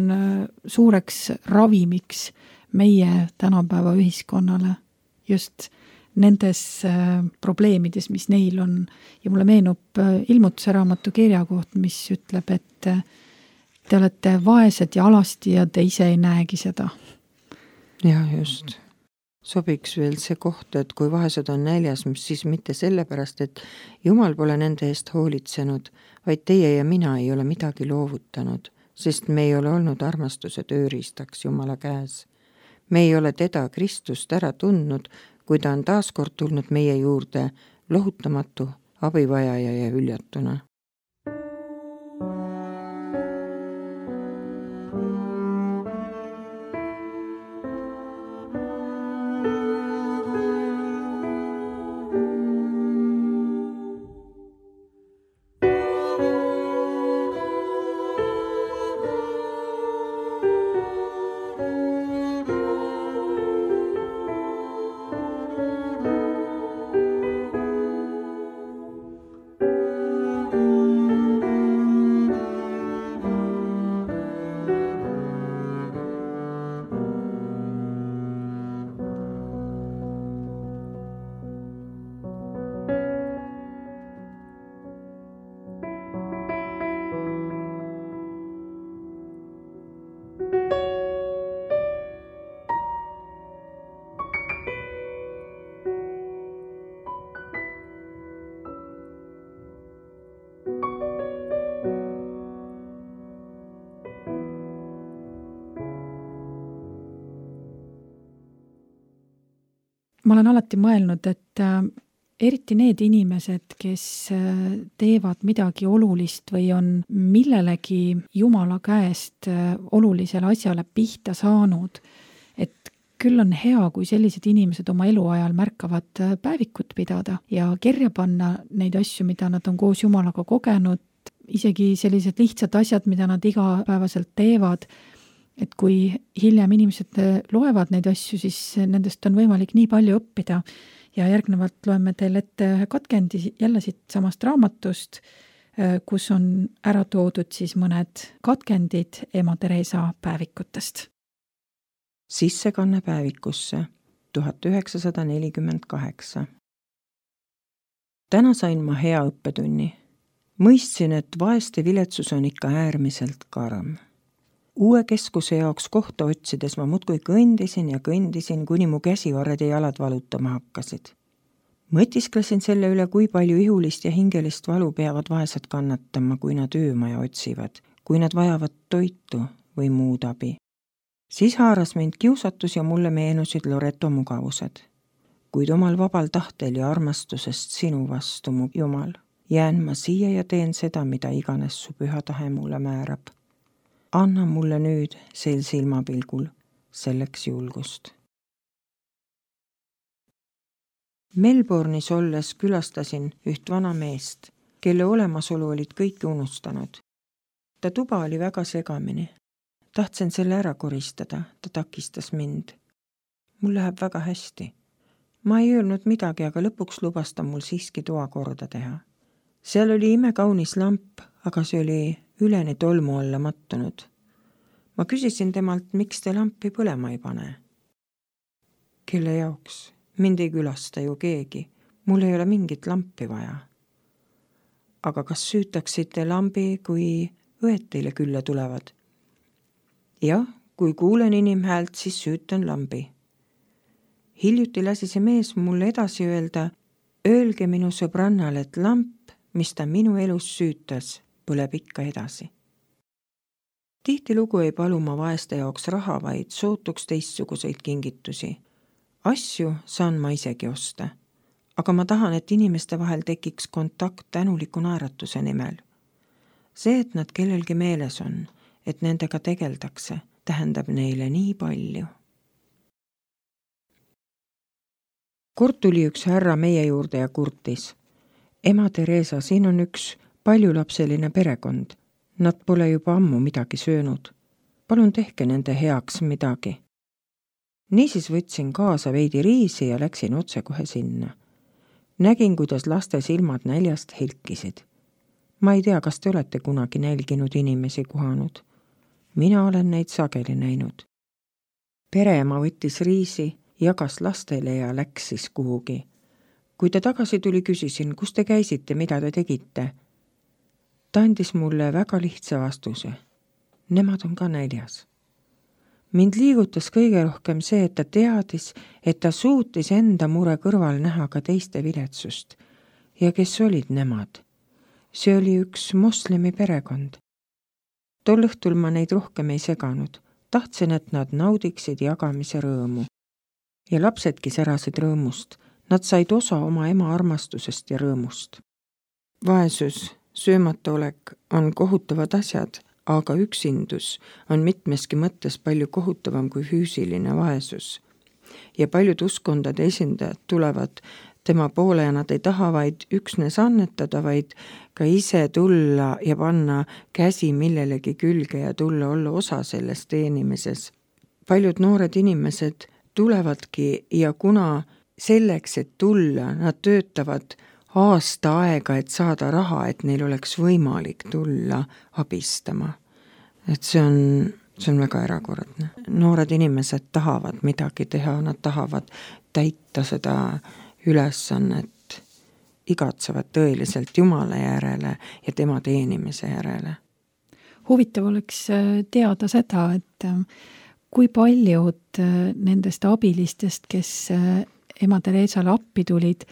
suureks ravimiks meie tänapäeva ühiskonnale just nendes probleemides, mis neil on. Ja mulle meenub Ilmutuse raamatu kirjakoht, mis ütleb, et te olete vaesed ja alasti ja te ise ei näegi seda. Ja just. Sobiks veel see koht, et kui vaesed on näljas, siis mitte sellepärast, et Jumal pole nende eest hoolitsenud, vaid teie ja mina ei ole midagi loovutanud, sest me ei ole olnud armastuse tööriistaks Jumala käes. Me ei ole teda, Kristust, ära tundnud, kui ta on taaskord tulnud meie juurde lohutamatu, abivajaja ja hüljatuna. Ma olen alati mõelnud, et eriti need inimesed, kes teevad midagi olulist või on millelegi Jumala käest olulisele asjale pihta saanud, et küll on hea, kui sellised inimesed oma eluajal märkavad päevikut pidada ja kirja panna neid asju, mida nad on koos Jumalaga kogenud, isegi sellised lihtsad asjad, mida nad igapäevaselt teevad. Et kui hiljem inimesed loevad neid asju, siis nendest on võimalik nii palju õppida ja järgnevalt loeme teil ette katkendi jälle siit samast raamatust, kus on ära toodud siis mõned katkendid ema Teresa päevikutest. Sissekanne päevikusse tuhat üheksasada nelikümmend kaheksa. Täna sain ma hea õppetunni. mõistsin, et vaeste viletsus on ikka äärmiselt karm. Uue keskuse jaoks kohta otsides ma muudkui kõndisin ja kõndisin, kuni mu käsivarred ja jalad valutama hakkasid. Mõtisklesin selle üle, kui palju ihulist ja hingelist valu peavad vaesed kannatama, kui nad öömaja otsivad, kui nad vajavad toitu või muud abi. Siis haaras mind kiusatus ja mulle meenusid Loreto mugavused. Kuid omal vabal tahtel ja armastusest sinu vastu, mu Jumal, jään ma siia ja teen seda, mida iganes su püha tahe mulle määrab. Anna mulle nüüd sel silmapilgul selleks julgust. Melbourne'is olles külastasin üht vana meest, kelle olemasolu olid kõik unustanud. Ta tuba oli väga segamini. Tahtsin selle ära koristada, ta takistas mind. Mul läheb väga hästi. Ma ei öelnud midagi, aga lõpuks lubas ta mul siiski toa korda teha. Seal oli imekaunis lamp, aga see oli üleni tolmu alla mattunud. Ma küsisin temalt, miks te lampi põlema ei pane. Kelle jaoks? Mind ei külasta ju keegi. Mul ei ole mingit lampi vaja. Aga kas süütaksite lambi, kui õed teile külla tulevad? Jah, kui kuulen inimhäält, siis süütan lambi. Hiljuti lasi see mees mulle edasi öelda, öelge minu sõbrannal, et lamp, mis ta minu elus süütas, põleb ikka edasi. Tihtilugu ei palu ma vaeste jaoks raha, vaid sootuks teistsuguseid kingitusi. Asju saan ma isegi osta, aga ma tahan, et inimeste vahel tekiks kontakt tänuliku naeratuse nimel. See, et nad kellelgi meeles on, et nendega tegeldakse, tähendab neile nii palju. Kord tuli üks härra meie juurde ja kurtis. Ema Teresa, siin on üks paljulapseline perekond. Nad pole juba ammu midagi söönud. Palun tehke nende heaks midagi. Niisiis võtsin kaasa veidi riisi ja läksin otse kohe sinna. Nägin, kuidas laste silmad näljast helkisid. Ma ei tea, kas te olete kunagi nälginud inimesi kohanud. Mina olen neid sageli näinud. Pereema võttis riisi, jagas lastele ja läks siis kuhugi. Kui ta tagasi tuli, küsisin, kus te käisite, mida te tegite? Ta andis mulle väga lihtsa vastuse. Nemad on ka näljas. Mind liigutas kõige rohkem see, et ta teadis, et ta suutis enda mure kõrval näha ka teiste viletsust. Ja kes olid nemad? See oli üks moslemi perekond. Tol õhtul ma neid rohkem ei seganud. Tahtsin, et nad naudiksid jagamise rõõmu. Ja lapsedki särasid rõõmust. Nad said osa oma ema armastusest ja rõõmust. Vaesus, söömata olek on kohutavad asjad, aga üksindus on mitmeski mõttes palju kohutavam kui füüsiline vaesus. Ja paljud uskondade esindajad tulevad tema poole ja nad ei taha vaid üksnes annetada, vaid ka ise tulla ja panna käsi millelegi külge ja tulla olla osa selles teenimises. Paljud noored inimesed tulevadki ja kuna selleks, et tulla, nad töötavad aasta aega, et saada raha, et neil oleks võimalik tulla abistama. Et see on, see on väga erakordne. Noored inimesed tahavad midagi teha, nad tahavad täita seda ülesannet, igatsevad tõeliselt Jumala järele ja tema teenimise järele. Huvitav oleks teada seda, et kui paljud nendest abilistest, kes ema Teresale appi tulid,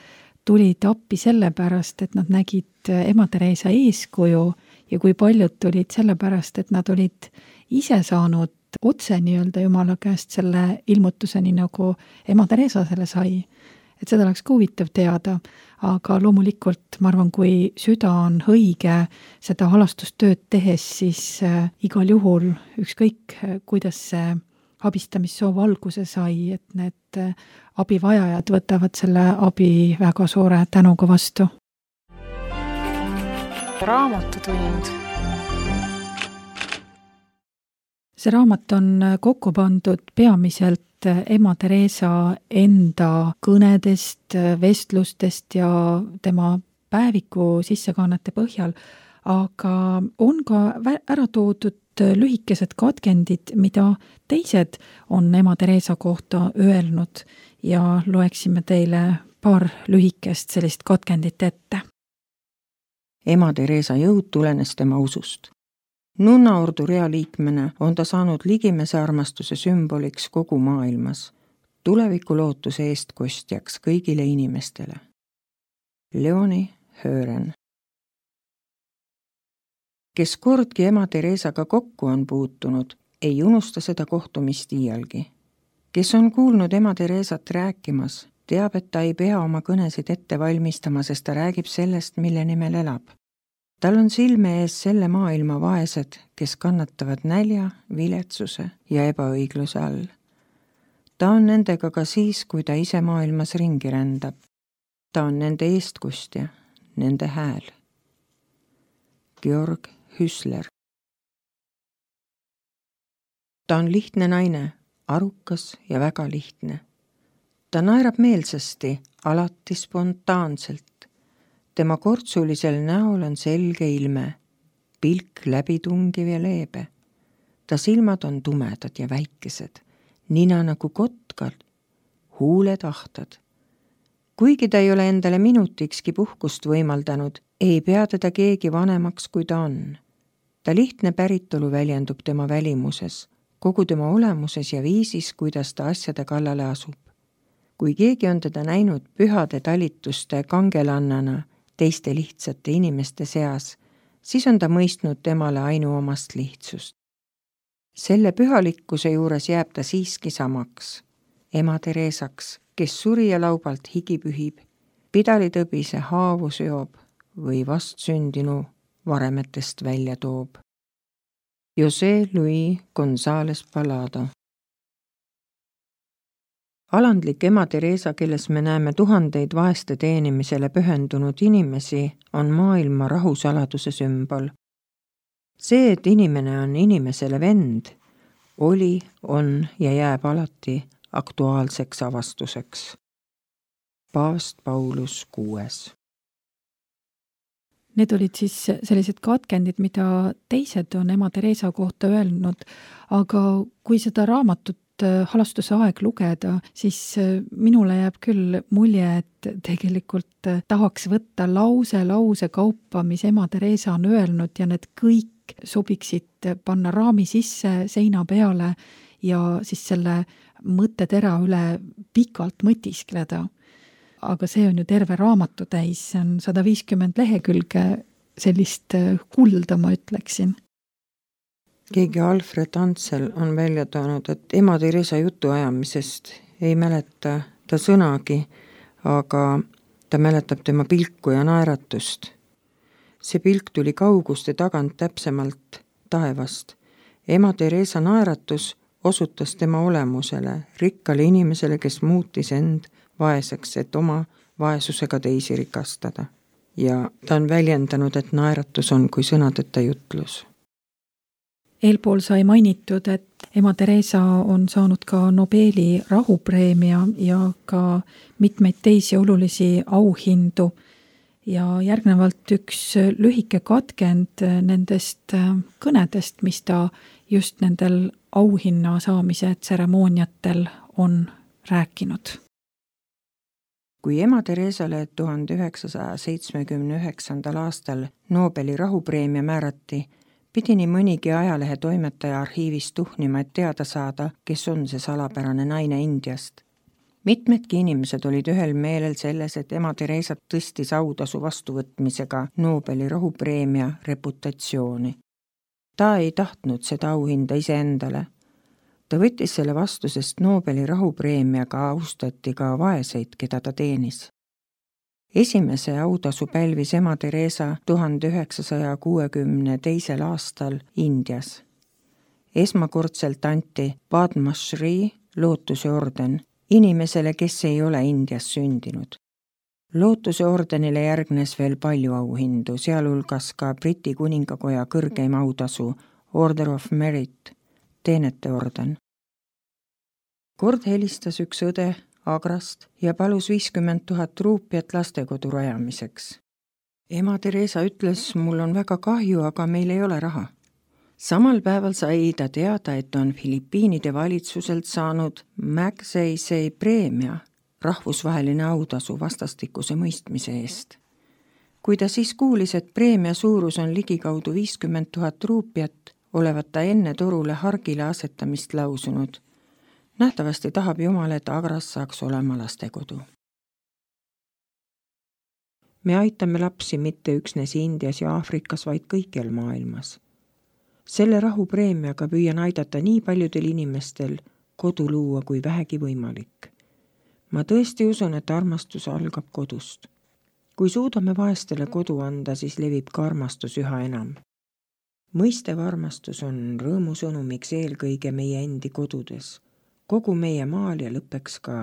tulid appi sellepärast, et nad nägid ema Teresa eeskuju ja kui paljud tulid sellepärast, et nad olid ise saanud otse nii-öelda Jumala käest selle ilmutuseni, nagu ema Teresa selle sai. Et seda oleks ka huvitav teada, aga loomulikult ma arvan, kui süda on õige seda halastustööd tehes, siis äh, igal juhul ükskõik, kuidas see abistamissoov alguse sai, et need äh, abivajajad võtavad selle abi väga suure tänuga vastu. Raamatutund. See raamat on kokku pandud peamiselt ema Teresa enda kõnedest, vestlustest ja tema päeviku sissekannete põhjal, aga on ka ära toodud lühikesed katkendid, mida teised on ema Teresa kohta öelnud ja loeksime teile paar lühikest sellist katkendit ette. ema Theresa jõud tulenes tema usust. Nunnaordu realiikmena on ta saanud ligimese armastuse sümboliks kogu maailmas, tuleviku lootuse eestkostjaks kõigile inimestele. Leoni Hören. Kes kordki ema Theresaga kokku on puutunud, ei unusta seda kohtumist iialgi. Kes on kuulnud ema Theresat rääkimas, teab, et ta ei pea oma kõnesid ette valmistama, sest ta räägib sellest, mille nimel elab. Tal on silme ees selle maailma vaesed, kes kannatavad nälja, viletsuse ja ebaõigluse all. Ta on nendega ka siis, kui ta ise maailmas ringi rändab. Ta on nende eestkostja, nende hääl. Georg Hüsler. Ta on lihtne naine, arukas ja väga lihtne. Ta naerab meelsasti, alati spontaanselt. Tema kortsulisel näol on selge ilme, pilk läbitungiv ja leebe. Ta silmad on tumedad ja väikesed, nina nagu kotkal, huuled ahtad. Kuigi ta ei ole endale minutikski puhkust võimaldanud, ei pea teda keegi vanemaks, kui ta on. Ta lihtne päritolu väljendub tema välimuses, kogu tema olemuses ja viisis, kuidas ta asjade kallale asub. Kui keegi on teda näinud pühade talituste kangelannana teiste lihtsate inimeste seas, siis on ta mõistnud temale ainuomast lihtsust. Selle pühalikkuse juures jääb ta siiski samaks, ema Theresaks, kes surija laubalt higi pühib, pidalitõbise haavu seob või vastsündinu varemetest välja toob. José Luis González Palado. Alandlik ema Theresa, kelles me näeme tuhandeid vaeste teenimisele pühendunud inimesi, on maailma rahusaladuse sümbol. See, et inimene on inimesele vend, oli, on ja jääb alati aktuaalseks avastuseks. Paavst Paulus kuues. Need olid siis sellised katkendid, mida teised on ema Theresa kohta öelnud, aga kui seda raamatut halastuse aeg lugeda, siis minule jääb küll mulje, et tegelikult tahaks võtta lause lause kaupa, mis ema Theresa on öelnud ja need kõik sobiksid panna raami sisse seina peale ja siis selle mõttetera üle pikalt mõtiskleda. Aga see on ju terve raamatu täis, see on sada viiskümmend lehekülge sellist kulda, ma ütleksin. Keegi Alfred Ansel on välja toonud, et ema Theresa jutuajamisest ei mäleta ta sõnagi, aga ta mäletab tema pilku ja naeratust. See pilk tuli kauguste tagant, täpsemalt taevast. Ema Theresa naeratus osutas tema olemusele, rikkale inimesele, kes muutis end vaeseks, et oma vaesusega teisi rikastada. Ja ta on väljendanud, et naeratus on kui sõnadeta jutlus. Eelpool sai mainitud, et ema Theresa on saanud ka Nobeli rahupreemia ja ka mitmeid teisi olulisi auhindu. Ja järgnevalt üks lühike katkend nendest kõnedest, mis ta just nendel auhinna saamise tseremooniatel on rääkinud. Kui ema Theresale tuhande üheksasaja seitsmekümne üheksandal aastal Nobeli rahupreemia määrati, pidi nii mõnigi ajalehe toimetaja arhiivis tuhnima, et teada saada, kes on see salapärane naine Indiast. Mitmedki inimesed olid ühel meelel selles, et ema Theresat tõstis autasu vastuvõtmisega Nobeli rahupreemia reputatsiooni. Ta ei tahtnud seda auhinda iseendale. Ta võttis selle vastu, sest Nobeli rahupreemiaga austati ka vaeseid, keda ta teenis. Esimese autasu pälvis ema Theresa tuhande üheksasaja kuuekümne teisel aastal Indias. Esmakordselt anti Padma Shri lootuse orden inimesele, kes ei ole Indias sündinud. Lootuse ordenile järgnes veel palju auhindu, sealhulgas ka Briti kuningakoja kõrgeim autasu Order of Merit, teenete orden. Kord helistas üks õde Agrast ja palus viiskümmend tuhat ruupiat lastekodu rajamiseks. Ema Theresa ütles, mul on väga kahju, aga meil ei ole raha. Samal päeval sai ta teada, et on Filipiinide valitsuselt saanud Magsaysay preemia, rahvusvaheline autasu vastastikuse mõistmise eest. kui ta siis kuulis, et preemia suurus on ligikaudu viiskümmend tuhat ruupiat, olevat ta enne torule hargile asetamist lausunud. Nähtavasti tahab Jumal, et Agras saaks olema lastekodu. Me aitame lapsi mitte üksnes Indias ja Aafrikas, vaid kõikjal maailmas. Selle rahupreemiaga püüan aidata nii paljudel inimestel kodu luua kui vähegi võimalik. Ma tõesti usun, et armastus algab kodust. Kui suudame vaestele kodu anda, siis levib ka armastus üha enam. Mõistev armastus on rõõmusõnumiks eelkõige meie endi kodudes, kogu meie maal ja lõppeks ka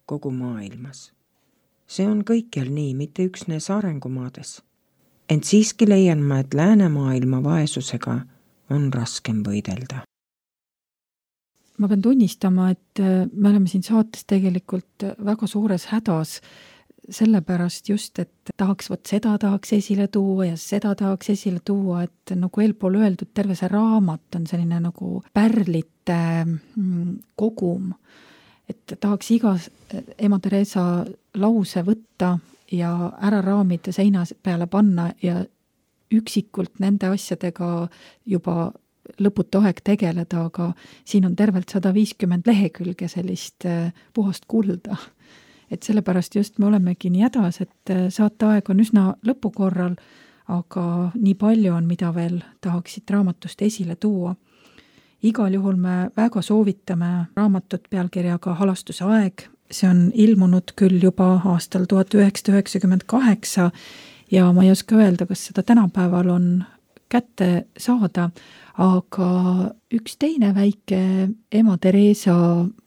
kogu maailmas. See on kõikjal nii, mitte üksnes arengumaades. Ent siiski leian ma, et läänemaailma vaesusega on raskem võidelda. Ma pean tunnistama, et me oleme siin saates tegelikult väga suures hädas, sellepärast just, et tahaks võt seda tahaks esile tuua ja seda tahaks esile tuua, et nagu eelpool öeldud, terve see raamat on selline nagu pärlite kogum, et tahaks iga ema Teresa lause võtta ja ära raamida seina peale panna ja üksikult nende asjadega juba lõputu aeg tegeleda, aga siin on tervelt sada viiskümmend lehekülge sellist puhast kulda. Et sellepärast just me olemegi nii hädas, et saateaeg on üsna lõpukorral, aga nii palju on, mida veel tahaksid raamatust esile tuua. Igal juhul me väga soovitame raamatut pealkirjaga Halastuse aeg. See on ilmunud küll juba aastal tuhat üheksasada üheksakümmend kaheksa ja ma ei oska öelda, kas seda tänapäeval on kätte saada, aga üks teine väike ema Teresa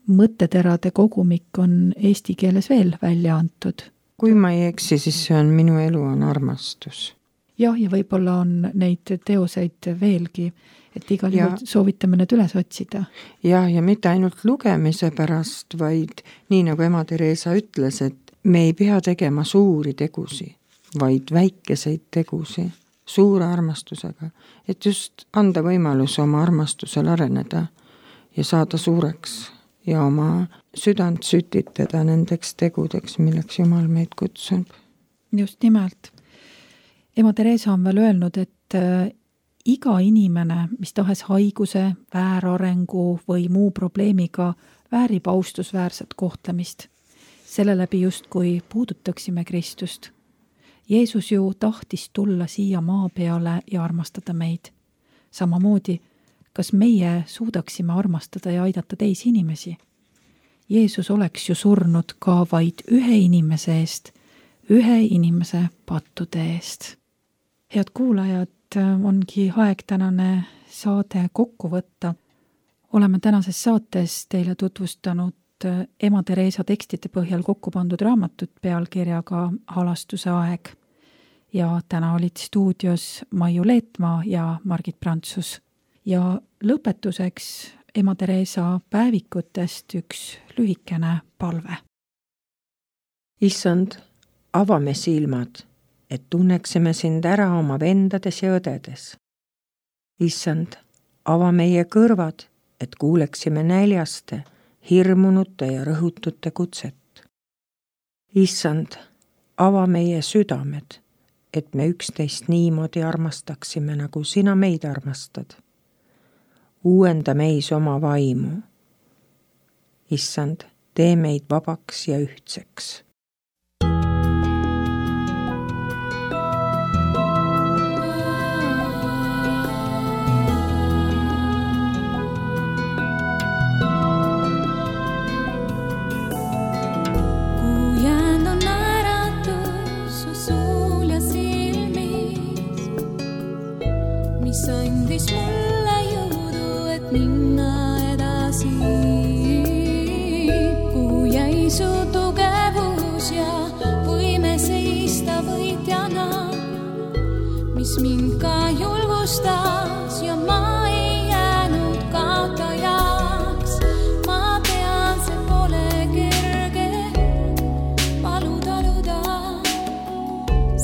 mõtteterade kogumik on eesti keeles veel välja antud. Kui ma ei eksi, siis see on Minu elu on armastus. Jah, ja võib-olla on neid teoseid veelgi, et igal juhul soovitame need üles otsida. Ja, ja mitte ainult lugemise pärast, vaid nii nagu ema Teresa ütles, et me ei pea tegema suuri tegusi, vaid väikeseid tegusi suure armastusega, et just anda võimalus oma armastusel areneda ja saada suureks ja oma südant sütitada nendeks tegudeks, milleks Jumal meid kutsub. Just nimelt. Ema Teresa on veel öelnud, et iga inimene, mis tahes haiguse, väärarengu või muu probleemiga väärib austusväärset kohtlemist. Selle läbi just kui puudutaksime Kristust. Jeesus ju tahtis tulla siia maa peale ja armastada meid. Samamoodi, kas meie suudaksime armastada ja aidata teisi inimesi? Jeesus oleks ju surnud ka vaid ühe inimese eest, ühe inimese pattude eest. Head kuulajad, ongi aeg tänane saade kokku võtta. Oleme tänases saates teile tutvustanud ema Teresa tekstide põhjal kokku pandud raamatut pealkirjaga Halastuse aeg. Ja täna olid stuudios Maiu Leetmaa ja Margit Prantsus. Ja lõpetuseks ema Teresa päevikutest üks lühikene palve. Issand, avame silmad, et tunneksime sind ära oma vendades ja õdedes. Issand, ava meie kõrvad, et kuuleksime näljaste, hirmunute ja rõhutute kutset. Issand, ava meie südamed, et me üksteist niimoodi armastaksime, nagu sina meid armastad. Uuenda meis oma vaimu. Issand, tee meid vabaks ja ühtseks. Andis mulle jõudu, et minna edasi. Kui jäi su tugevus ja võime seista võitjana, mis mind ka julgustas ja ma ei jäänud kaotajaks. Ma tean, see pole kerge valu taluda,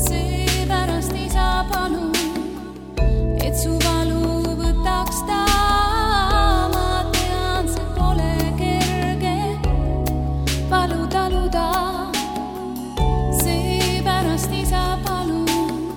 seepärast isa palun, et su valu võtaks ta. Ma tean, see pole kerge valu taluda, seepärast isa palun,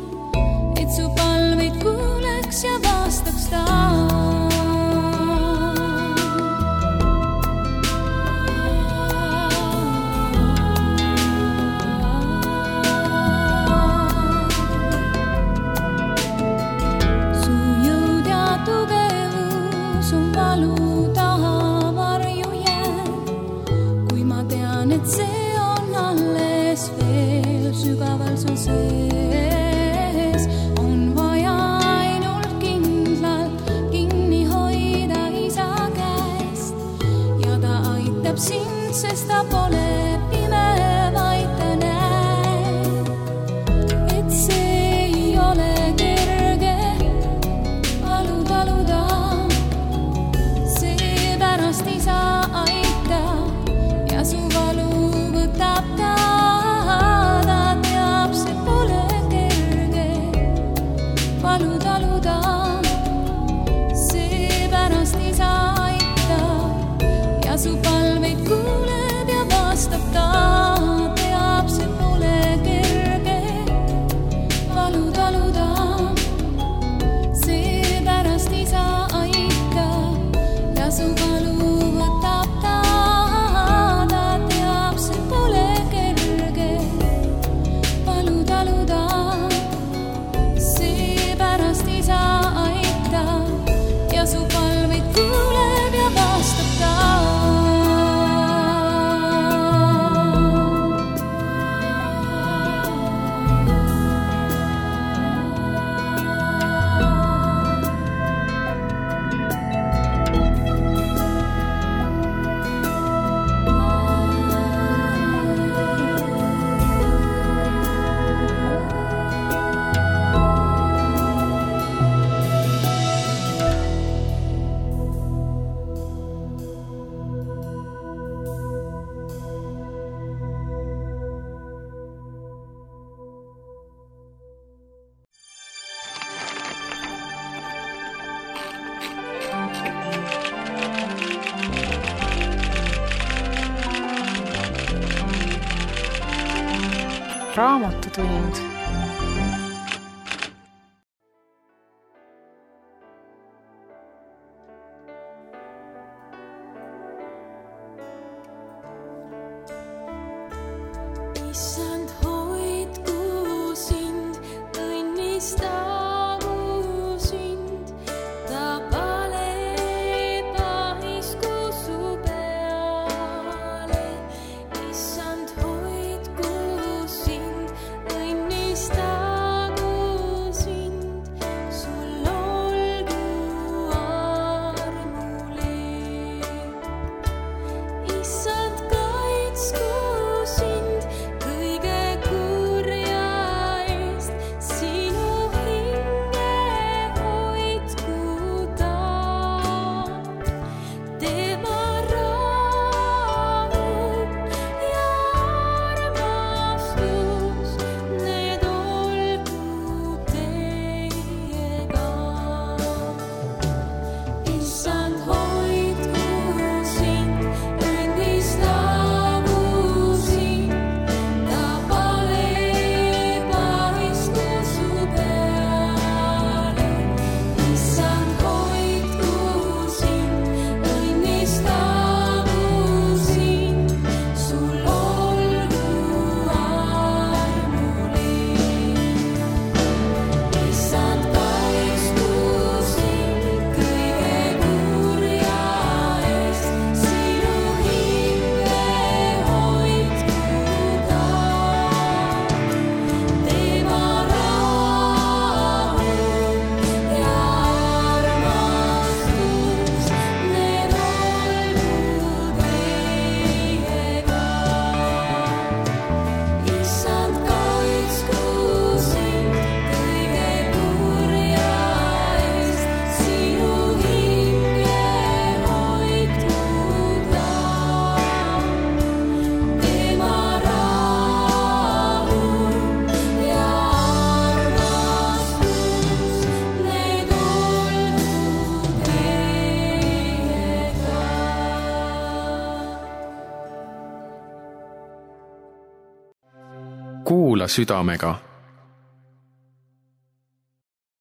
Raamatutund. Issand, hoidku sind, õnnistagu sind, ta pale pahisku su peale. Issand, hoidku sind, õnnistagu sind, sul olgu armule. Issand, kaitsku sind kõige kurja eest, sinu hinge hoidku ta. Tema rahu ja armastus, need olgu teiega. Issand, hoidku sind, õnnistagu sind, ta pale pahisku su peale. Issand, hoidku sind, õnnistagu sind, sul olgu armule. Issand, kaitsku sind kõige kurja eest, sinu hinge hoidku ta. Tema rahu ja armastus, need olgu teiega. Issand, kaitsku sind kõige kurja eest, sinu hinge hoidku ta. Tema rahu ja armastus, need olgu teiega. Kuula südamega